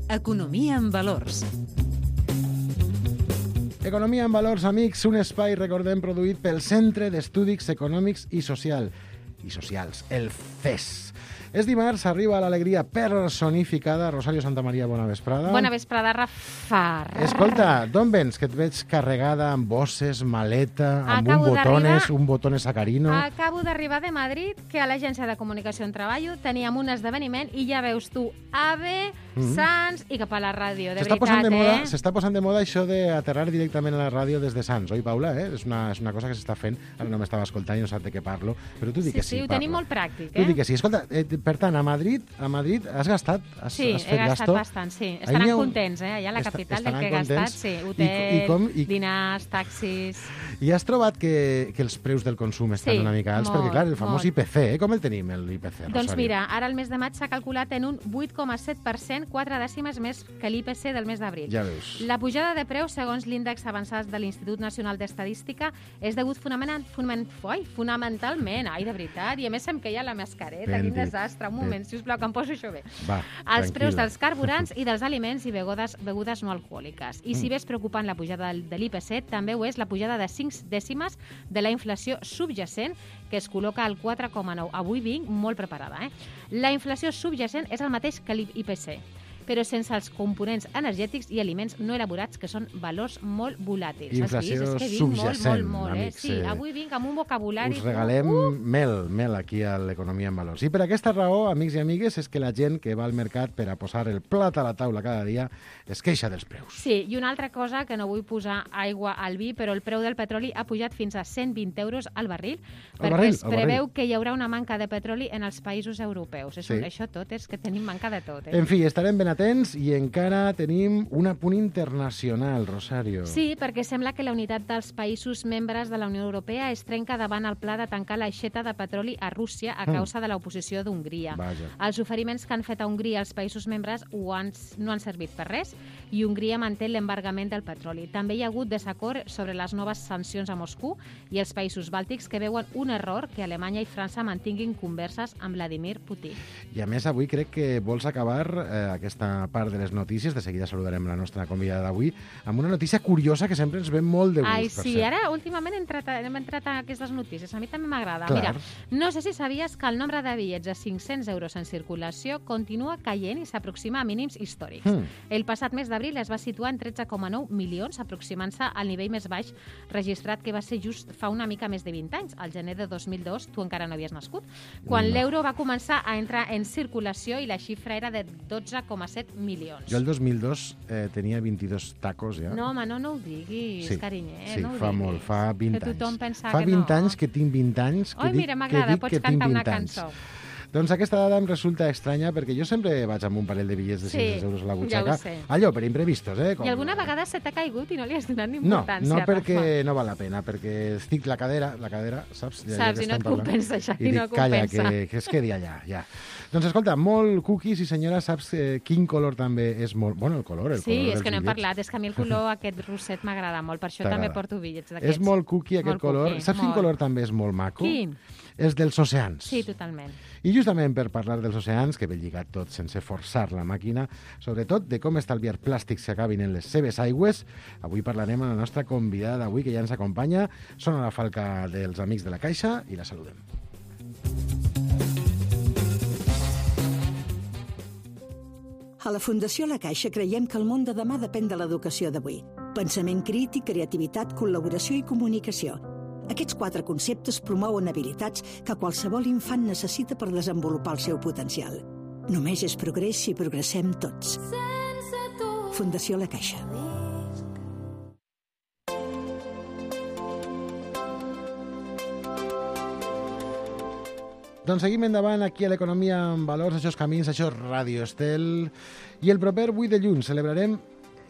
Economia en valors. Economia en valors, amics, un espai, recordem, produït pel Centre d'Estudis Econòmics i Socials, el CES. És dimarts, arriba l'alegria personificada. Rosario Santamaría, bona vesprada. Bona vesprada, Rafa. Escolta, d'on vens? Que et veig carregada amb bosses, maleta, amb un botones sacarino. Acabo d'arribar de Madrid, que a l'agència de comunicació on treballo teníem un esdeveniment i ja veus tu AVE, Sants i cap a la ràdio. De veritat, s'està posant de moda això d'aterrar directament a la ràdio des de Sants, oi, Paula? És una cosa que s'està fent. Ara no m'estava escoltant i no sap de què parlo, però tu di que sí. Sí, ho tenim molt pràctic, Tu di que sí. Escolta, per tant, a Madrid has gastat? Sí, he gastat bastant, sí. Estaran contents, allà a la capital del que he gastat, sí. Hotel, dinars, taxis... I has trobat que els preus del consum estan una mica alts? Perquè, clar, el famós IPC, com el tenim, l'IPC, Rosario? Doncs mira, ara el mes de maig s'ha calculat en un 8,7%, 4 dècimes més que l'IPC del mes d'abril. Ja veus. La pujada de preus, segons l'índex avançat de l'Institut Nacional d'Estadística, és degut fonamentalment, de veritat, i a més se'm queia la mascareta, quin desastre. Un moment, sisplau, que em poso això bé. Els preus dels carburants i dels aliments i begudes no alcohòliques. I si bé és preocupant la pujada de l'IPC, també ho és la pujada de 5 dècimes de la inflació subjacent, que es col·loca al 4,9. Avui vinc molt preparada. La inflació subjacent és el mateix que l'IPC, però sense els components energètics i aliments no elaborats, que són valors molt volàtils. Inflació subjacent, amics. Sí, avui vinc amb un vocabulari... Us regalem mel aquí a l'Economia en Valors. I per aquesta raó, amics i amigues, és que la gent que va al mercat per a posar el plat a la taula cada dia es queixa dels preus. Sí, i una altra cosa, que no vull posar aigua al vi, però el preu del petroli ha pujat fins a 120 euros al barril, perquè es preveu que hi haurà una manca de petroli en els països europeus. Això tot és que tenim manca de tot. En fi, estarem ben atents i encara tenim un apunt internacional, Rosario. Sí, perquè sembla que la unitat dels països membres de la Unió Europea es trenca davant el pla de tancar l'aixeta de petroli a Rússia a causa de l'oposició d'Hongria. Els oferiments que han fet a Hongria els països membres no han servit per res i Hongria manté l'embargament del petroli. També hi ha hagut desacord sobre les noves sancions a Moscou i els països bàltics que veuen un error que Alemanya i França mantinguin converses amb Vladimir Putin. I a més, avui crec que vols acabar aquesta part de les notícies, de seguida saludarem la nostra convidada d'avui, amb una notícia curiosa que sempre ens ve molt de gust. Ai, sí, ara últimament hem entrat a aquestes notícies, a mi també m'agrada. Mira, no sé si sabies que el nombre de bitllets de 500 euros en circulació continua caient i s'aproxima a mínims històrics. El passat mes d'abril es va situar en 13,9 milions, aproximant-se al nivell més baix registrat que va ser just fa una mica més de 20 anys, al gener de 2002, tu encara no havies nascut, quan l'euro va començar a entrar en circulació i la xifra era de 12,7 milions. Jo el 2002 tenia 22 tacos, ja. No, home, no ho diguis, carinyer. Sí, fa molt, fa 20 anys. Que tothom pensa fa que no. 20 anys que tinc 20 anys que dic mira, m'agrada, pots cantar una cançó. Doncs aquesta dada em resulta estranya perquè jo sempre vaig amb un parell de bitllets de 500 euros a la butxaca. Ja ho sé. Allò, per imprevistos, I alguna vegada se t'ha caigut i no li has donat ni importància. No, perquè no val la pena, perquè estic la cadera, saps? Saps, i no et compensa, ja, i no compensa. Calla, que es quedi allà, ja. Doncs escolta, molt cookies i senyora, saps quin color també és molt... Bueno, el color dels bitllets. Sí, és que no hem parlat, és que a mi el color aquest roset m'agrada molt, per això també porto bitllets d'aquests. És molt cookie aquest color. Saps quin color també és molt maco? Quin? És dels oceans. Sí, totalment. I justament per parlar dels oceans, que ve lligat tot sense forçar la màquina, sobretot de com estalviar plàstics que acabin en les seves aigües, avui parlarem amb la nostra convidada d'avui, que ja ens acompanya. Sona la falca dels Amics de la Caixa i la saludem. A la Fundació La Caixa creiem que el món de demà depèn de l'educació d'avui. Pensament crític, creativitat, col·laboració i comunicació. Aquests 4 conceptes promouen habilitats que qualsevol infant necessita per desenvolupar el seu potencial. Només és progrés si progressem tots. Fundació La Caixa. Doncs seguim endavant aquí a l'Economia amb Valors, això és Camins, això és Ràdio Estel. I el proper 8 de juny celebrarem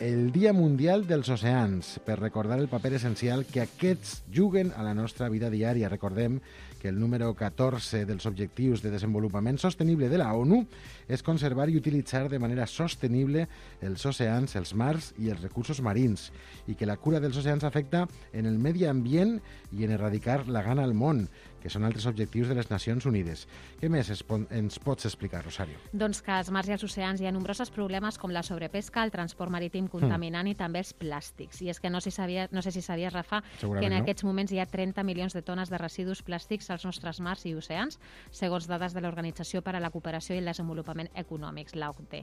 el Dia Mundial dels Oceans, per recordar el paper essencial que aquests juguen a la nostra vida diària. Recordem que el número 14 dels Objectius de Desenvolupament Sostenible de la ONU és conservar i utilitzar de manera sostenible els oceans, els mars i els recursos marins, i que la cura dels oceans afecta en el medi ambient i en erradicar la gana al món, que són altres objectius de les Nacions Unides. Què més ens pots explicar, Rosario? Doncs que als mars i als oceans hi ha nombrosos problemes com la sobrepesca, el transport marítim contaminant i també els plàstics. I és que no sé si sabies, Rafa, que en aquests moments hi ha 30 milions de tones de residus plàstics als nostres mars i oceans, segons dades de l'Organització per a la Cooperació i el Desenvolupament Econòmics, l'OCDE.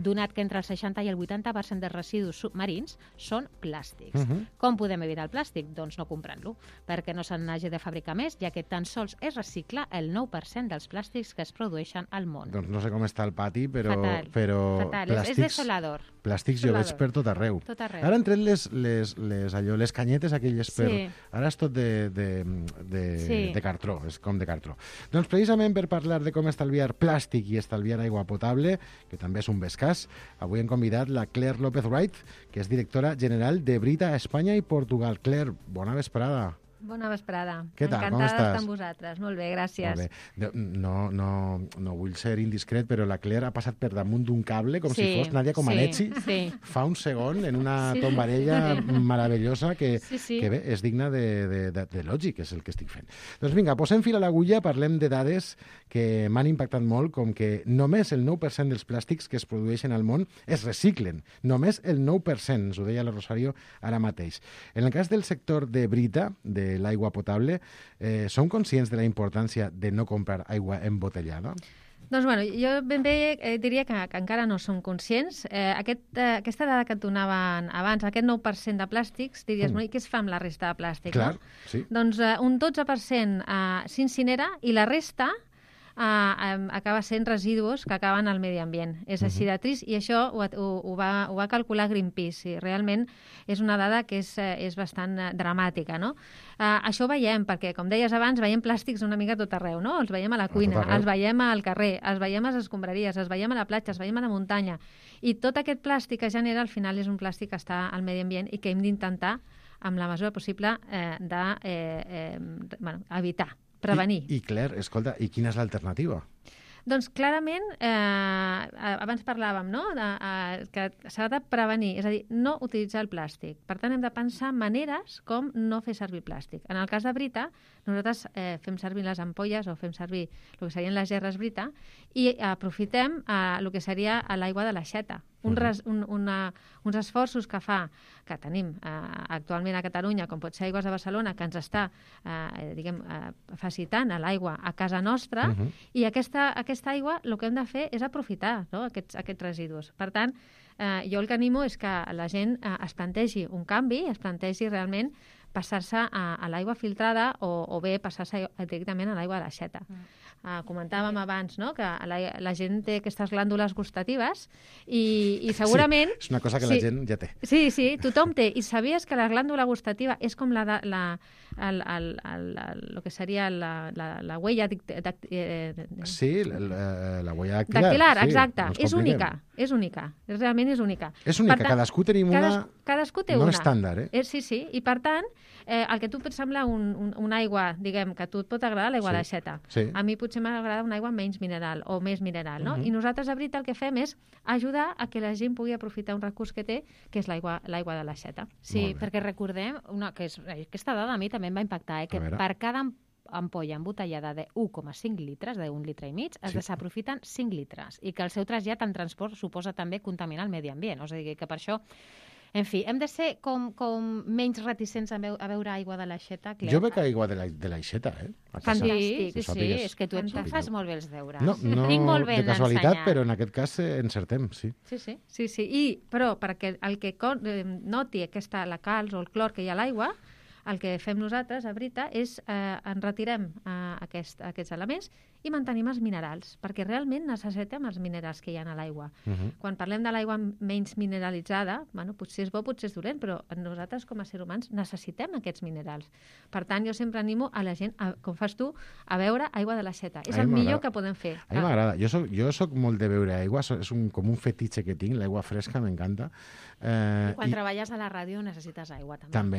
Donat que entre el 60 i el 80% dels residus submarins són plàstics. Com podem evitar el plàstic? Doncs no comprant-lo, perquè no se n'hagi de fabricar més, ja que tan sols es recicla el 9% dels plàstics que es produeixen al món. Doncs no sé com està el pati, però... Fatal. Plàstics, és desolador. Plàstics jo veig per tot arreu. Ara han tret les canyetes aquelles per... Ara és tot de cartró, és com de cartró. Doncs precisament per parlar de com estalviar plàstic i estalviar aigua potable, que també és un bescàs, avui hem convidat la Claire López Wright, que és directora general de Brita a Espanya i Portugal. Claire, bona vesprada. Bona vesprada. Què tal? Com estàs? Encantada d'estar amb vosaltres. Molt bé, gràcies. Molt bé. No vull ser indiscret, però la Claire ha passat per damunt d'un cable com si fos Nadia Comaneci fa un segon en una tombarella meravellosa que bé, és digna de lògic, és el que estic fent. Doncs vinga, posem fil a l'agulla, parlem de dades que m'han impactat molt, com que només el 9% dels plàstics que es produeixen al món es reciclen. Només el 9%, ens ho deia la Rosario ara mateix. En el cas del sector de Brita, de l'aigua potable, són conscients de la importància de no comprar aigua embotellada? Doncs bueno, jo ben bé diria que encara no som conscients. Aquesta dada que et donaven abans, aquest 9% de plàstics, diries, i què es fa amb la resta de plàstic? Clar, sí. Doncs un 12% s'incinera i la resta acaba sent residus que acaben al medi ambient. És així de trist, i això ho va calcular Greenpeace, i realment és una dada que és bastant dramàtica, no? Això ho veiem, perquè, com deies abans, veiem plàstics una mica a tot arreu, no? Els veiem a la cuina, els veiem al carrer, els veiem a les escombraries, els veiem a la platja, els veiem a la muntanya, i tot aquest plàstic que genera, al final, és un plàstic que està al medi ambient i que hem d'intentar, amb la mesura possible, evitar. Prevenir. I Claire, escolta, i quina és l'alternativa? Doncs clarament, abans parlàvem, no?, que s'ha de prevenir, és a dir, no utilitzar el plàstic. Per tant, hem de pensar maneres com no fer servir plàstic. En el cas de Brita, nosaltres fem servir les ampolles o fem servir el que serien les gerres Brita i aprofitem el que seria l'aigua de l'aixeta. Uns esforços que tenim actualment a Catalunya, com pot ser Aigües de Barcelona, que ens està facilitant l'aigua a casa nostra, i aquesta aigua el que hem de fer és aprofitar, no?, aquests residus. Per tant, jo el que animo és que la gent es plantegi un canvi, es plantegi realment passar-se a l'aigua filtrada o bé passar-se directament a l'aigua de l'aixeta. Comentàvem abans, no?, que la gent té aquestes glàndules gustatives i segurament... Sí, és una cosa que la gent ja té. Sí, tothom té. I sabies que la glàndula gustativa és com el que seria la huella... Sí, la huella dactilar. Dactilar, exacte. És única. Realment és única. És única, cadascú tenim una... Cadascú té una. No estàndard, eh? Sí. I per tant, el que tu et sembla una aigua, diguem, que a tu et pot agradar l'aigua d'aixeta. A mi potser m'agrada una aigua menys mineral o més mineral, no? I nosaltres, a Brita, el que fem és ajudar a que la gent pugui aprofitar un recurs que té, que és l'aigua de l'aixeta. Sí, perquè recordem que aquesta dada a mi també em va impactar, que per cada ampolla embotellada de 1,5 litres, d'un litre i mig, es desaprofiten 5 litres, i que el seu trasllat en transport suposa també contaminar el medi ambient. O sigui que per això... En fi, hem de ser com menys reticents a beure aigua de l'aixeta. Jo bec aigua de l'aixeta, eh? Fantàstic, sí, és que tu fas molt bé els deures. No de casualitat, però en aquest cas encertem, sí. Sí. Però perquè el que noti la calç o el clor que hi ha a l'aigua, el que fem nosaltres a Brita és en retirem aquests elements i mantenim els minerals, perquè realment necessitem els minerals que hi ha a l'aigua. Quan parlem de l'aigua menys mineralitzada, potser és bo, potser és dolent, però nosaltres com a ser humans necessitem aquests minerals. Per tant, jo sempre animo a la gent, com fas tu, a beure aigua de l'aixeta. És el millor que podem fer. A mi m'agrada. Jo soc molt de beure aigua, és com un fetitxe que tinc, l'aigua fresca m'encanta. Quan treballes a la ràdio necessites aigua, també. També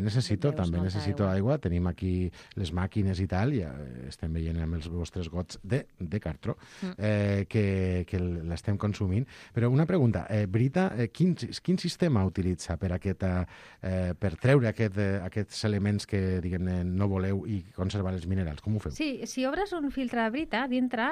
necessito aigua. Tenim aquí les màquines i tal, i estem veient amb els vostres gots de cartró que l'estem consumint. Però una pregunta, Brita, quin sistema utilitza per treure aquests elements que no voleu i conservar els minerals? Com ho feu? Sí, si obres un filtre de Brita, dintre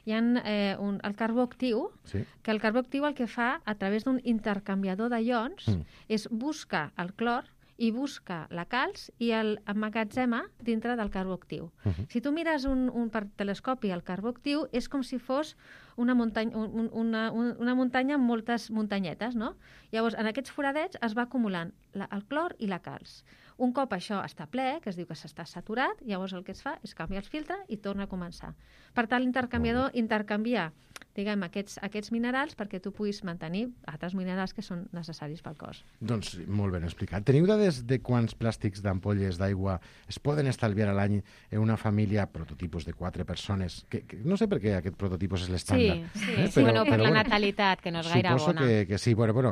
hi ha el carbó actiu, que el carbó actiu el que fa, a través d'un intercanviador de ions, és buscar el clor i busca la calç i l'emmagatzema dintre del carbó actiu. Si tu mires per telescopi el carbó actiu, és com si fos una muntanya amb moltes muntanyetes, no? Llavors, en aquests foradets es va acumulant el clor i la calç. Un cop això està ple, que es diu que s'està saturat, llavors el que es fa és canviar el filtre i torna a començar. Per tant, l'intercanviador intercanvia, diguem, aquests minerals perquè tu puguis mantenir altres minerals que són necessaris pel cos. Doncs molt ben explicat. Teniu dades de quants plàstics d'ampolles d'aigua es poden estalviar a l'any en una família, prototipus de 4 persones? No sé per què aquest prototipus és l'estàndard. Sí, per la natalitat, que no és gaire bona. Suposo que sí. Bueno,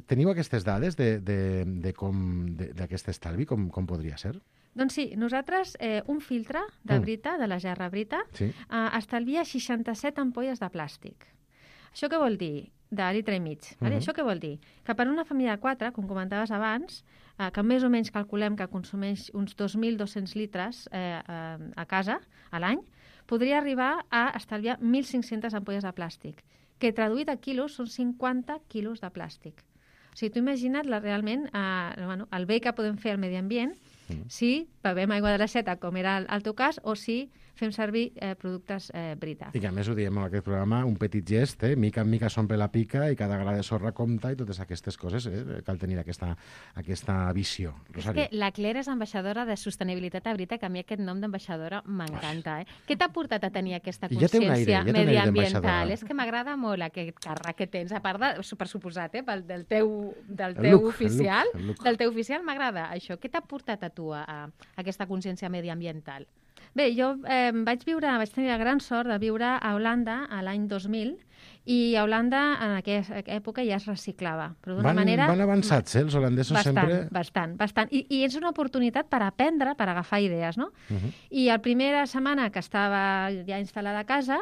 teniu aquestes dades d'aquest estalvi? Com podria ser? Doncs sí, nosaltres un filtre de Brita, de la gerra Brita, estalvia 67 ampolles de plàstic. Això què vol dir? De litre i mig. Això què vol dir? Que per una família de 4, com comentaves abans, que més o menys calculem que consumeix uns 2.200 litres a casa a l'any, podria arribar a estalviar 1.500 ampolles de plàstic, que traduït a quilos són 50 quilos de plàstic. O sigui, tu imagina't realment el bé que podem fer al medi ambient si bevem aigua de l'aixeta, com era el teu cas, o si fem servir productes Brita. I que a més ho diem en aquest programa, un petit gest, mica en mica s'omple la pica i cada gra de sorra compta i totes aquestes coses, cal tenir aquesta visió. Rosario. És que la Claire és ambaixadora de sostenibilitat a Brita, que a mi aquest nom d'ambaixadora m'encanta. Què t'ha portat a tenir aquesta consciència mediambiental? És que m'agrada molt aquest càrrec que tens, a part de, per suposat, del teu oficial, del teu oficial m'agrada això. Què t'ha portat a tu a aquesta consciència mediambiental? Bé, jo vaig tenir la gran sort de viure a Holanda a l'any 2000 i a Holanda en aquesta època ja es reciclava. Però d'una manera... Van avançats, els holandesos sempre... Bastant. I és una oportunitat per aprendre, per agafar idees, no? I la primera setmana que estava ja instal·lada a casa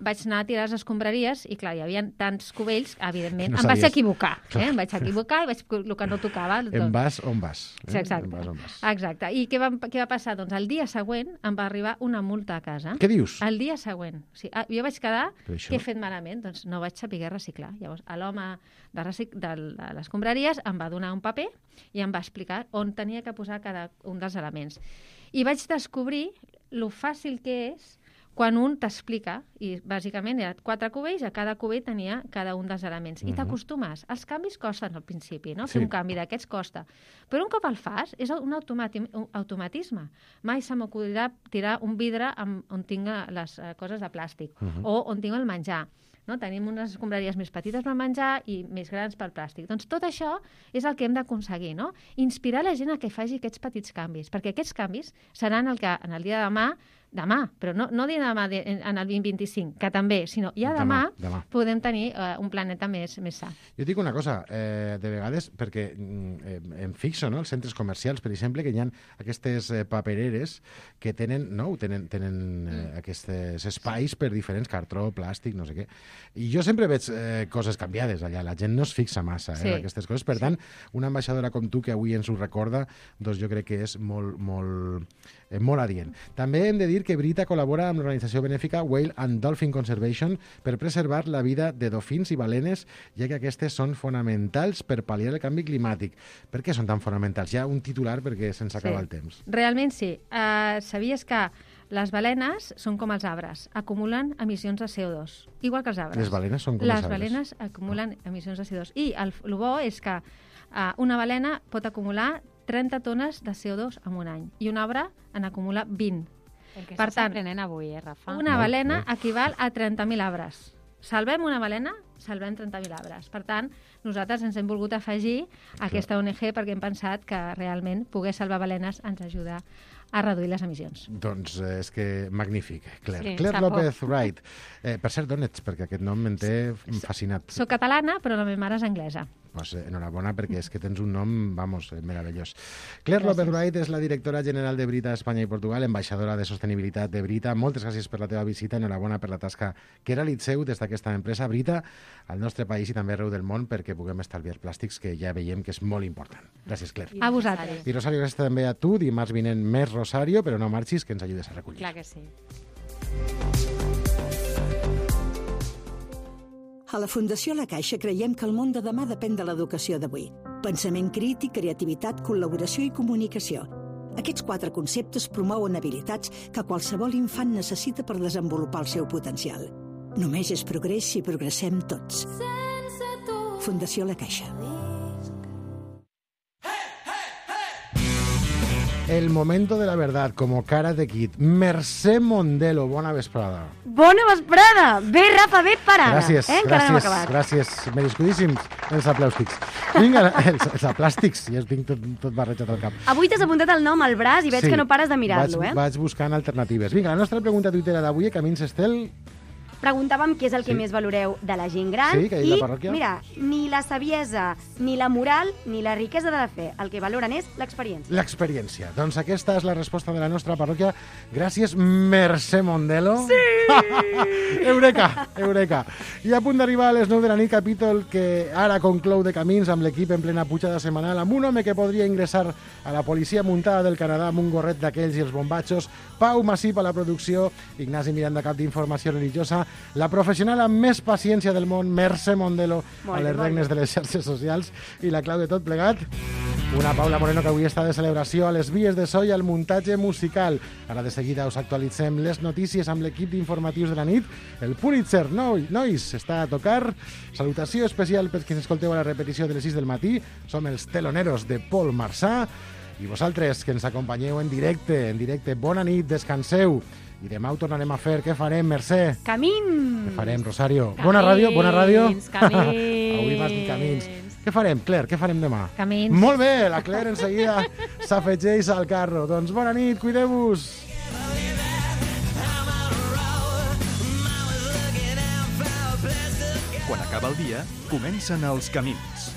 vaig anar a tirar les escombraries i, clar, hi havia tants cubells, evidentment, em vaig equivocar. Em vaig equivocar i vaig el que no tocava. En vas on vas. Exacte. I què va passar? Doncs el dia següent em va arribar una multa a casa. Què dius? El dia següent. Jo vaig quedar, què he fet malament? Doncs no vaig saber reciclar. Llavors, l'home de les escombraries em va donar un paper i em va explicar on tenia que posar cada un dels elements. I vaig descobrir lo fàcil que és quan un t'explica, i bàsicament eren 4 cubells, a cada cubell tenia cada un dels elements. I t'acostumes. Els canvis costen al principi, no? Fer un canvi d'aquests costa. Però un cop el fas, és un automatisme. Mai se m'acudirà tirar un vidre on tinc les coses de plàstic o on tinc el menjar. No? Tenim unes escombraries més petites per menjar i més grans per plàstic. Doncs tot això és el que hem d'aconseguir, no? Inspirar la gent a que faci aquests petits canvis, perquè aquests canvis seran el que en el dia de demà, però no dir demà en el 2025, que també, sinó ja demà podem tenir un planeta més sa. Jo dic una cosa, de vegades, perquè em fixo, no?, als centres comercials, per exemple, que hi ha aquestes papereres que tenen aquests espais per diferents, cartró, plàstic, no sé què. I jo sempre veig coses canviades allà, la gent no es fixa massa en aquestes coses, per tant, una ambaixadora com tu que avui ens ho recorda, doncs jo crec que és molt adient. També hem de dir que Brita col·labora amb l'organització benèfica Whale and Dolphin Conservation per preservar la vida de dofins i balenes, ja que aquestes són fonamentals per pal·liar el canvi climàtic. Per què són tan fonamentals? Ja un titular perquè se'ns acaba el temps. Realment sí. Sabies que les balenes són com els arbres, acumulen emissions de CO2, igual que els arbres. Les balenes són com els arbres. Les balenes acumulen emissions de CO2. I el bo és que una balena pot acumular 30 tones de CO2 en un any i un arbre en acumula 20. Per tant, avui, Rafa? Una balena equival a 30.000 arbres. Salvem una balena, salvem 30.000 arbres. Per tant, nosaltres ens hem volgut afegir a aquesta ONG perquè hem pensat que realment poder salvar balenes ens ajuda a reduir les emissions. Doncs és que magnífic, Claire. Sí, Claire López Wright. Per cert, d'on ets? Perquè aquest nom m'en té fascinat. Soc catalana, però la meva mare és anglesa. Pues enhorabona, perquè és que tens un nom, meravellós. Claire López Wright és la directora general de Brita Espanya i Portugal, ambaixadora de sostenibilitat de Brita. Moltes gràcies per la teva visita, enhorabona per la tasca que realitzeu des d'aquesta empresa Brita al nostre país i també arreu del món perquè puguem estalviar plàstics, que ja veiem que és molt important. Gràcies, Claire. A vosaltres. I Rosario, gràcies també a tu. Dimarts vinent més Rosario, però no marxis, que ens ajudes a recollir. Clar que sí. A la Fundació La Caixa creiem que el món de demà depèn de l'educació d'avui. Pensament crític, creativitat, col·laboració i comunicació. Aquests 4 conceptes promouen habilitats que qualsevol infant necessita per desenvolupar el seu potencial. Només és progrés si progressem tots. Fundació La Caixa. El momento de la verdad, como cara de Kid. Mercè Mondelo, bona vesprada. Bona vesprada! Bé, Rafa, bé parada. Gràcies. Merescudíssims els aplàstics. Vinga, els aplàstics, ja tinc tot barrejat al cap. Avui t'has apuntat el nom al braç i veig que no pares de mirar-lo, Vaig buscant alternatives. Vinga, la nostra pregunta tuitera d'avui, Camins Estel. Preguntàvem què és el que més valoreu de la gent gran i, mira, ni la saviesa, ni la moral, ni la riquesa de la fe. El que valoren és l'experiència. L'experiència. Doncs aquesta és la resposta de la nostra parròquia. Gràcies, Mercè Mondelo. Sí! Eureka. I a punt d'arribar a les 9 de la nit, capítol que ara conclou de Camins amb l'equip en plena pujada setmanal, amb un home que podria ingressar a la policia muntada del Canadà amb un gorret d'aquells i els bombatxos, Pau Massip a la producció, Ignasi Miranda, cap d'informació religiosa, la professional amb més paciència del món, Mercè Mondelo, a les regnes de les xarxes socials, i la clau de tot plegat... Una Paula Moreno que avui està de celebració a les vies de so i al muntatge musical. Ara de seguida us actualitzem les notícies amb l'equip d'informatius de la nit. El Pulitzer Noise està a tocar. Salutació especial per qui ens escolteu a la repetició de les 6 del matí. Som els teloneros de Paul Marsà. I vosaltres, que ens acompanyeu en directe, bona nit, descanseu. I demà ho tornarem a fer. Què farem, Mercè? Camins! Què farem, Rosario? Camins, Bona ràdio? Camins. Avui m'has dit camins. Què farem, Claire? Què farem demà? Camins. Molt bé, la Claire en seguida s'afegeix al carro. Doncs bona nit, cuideu-vos. Quan acaba el dia, comencen els camins.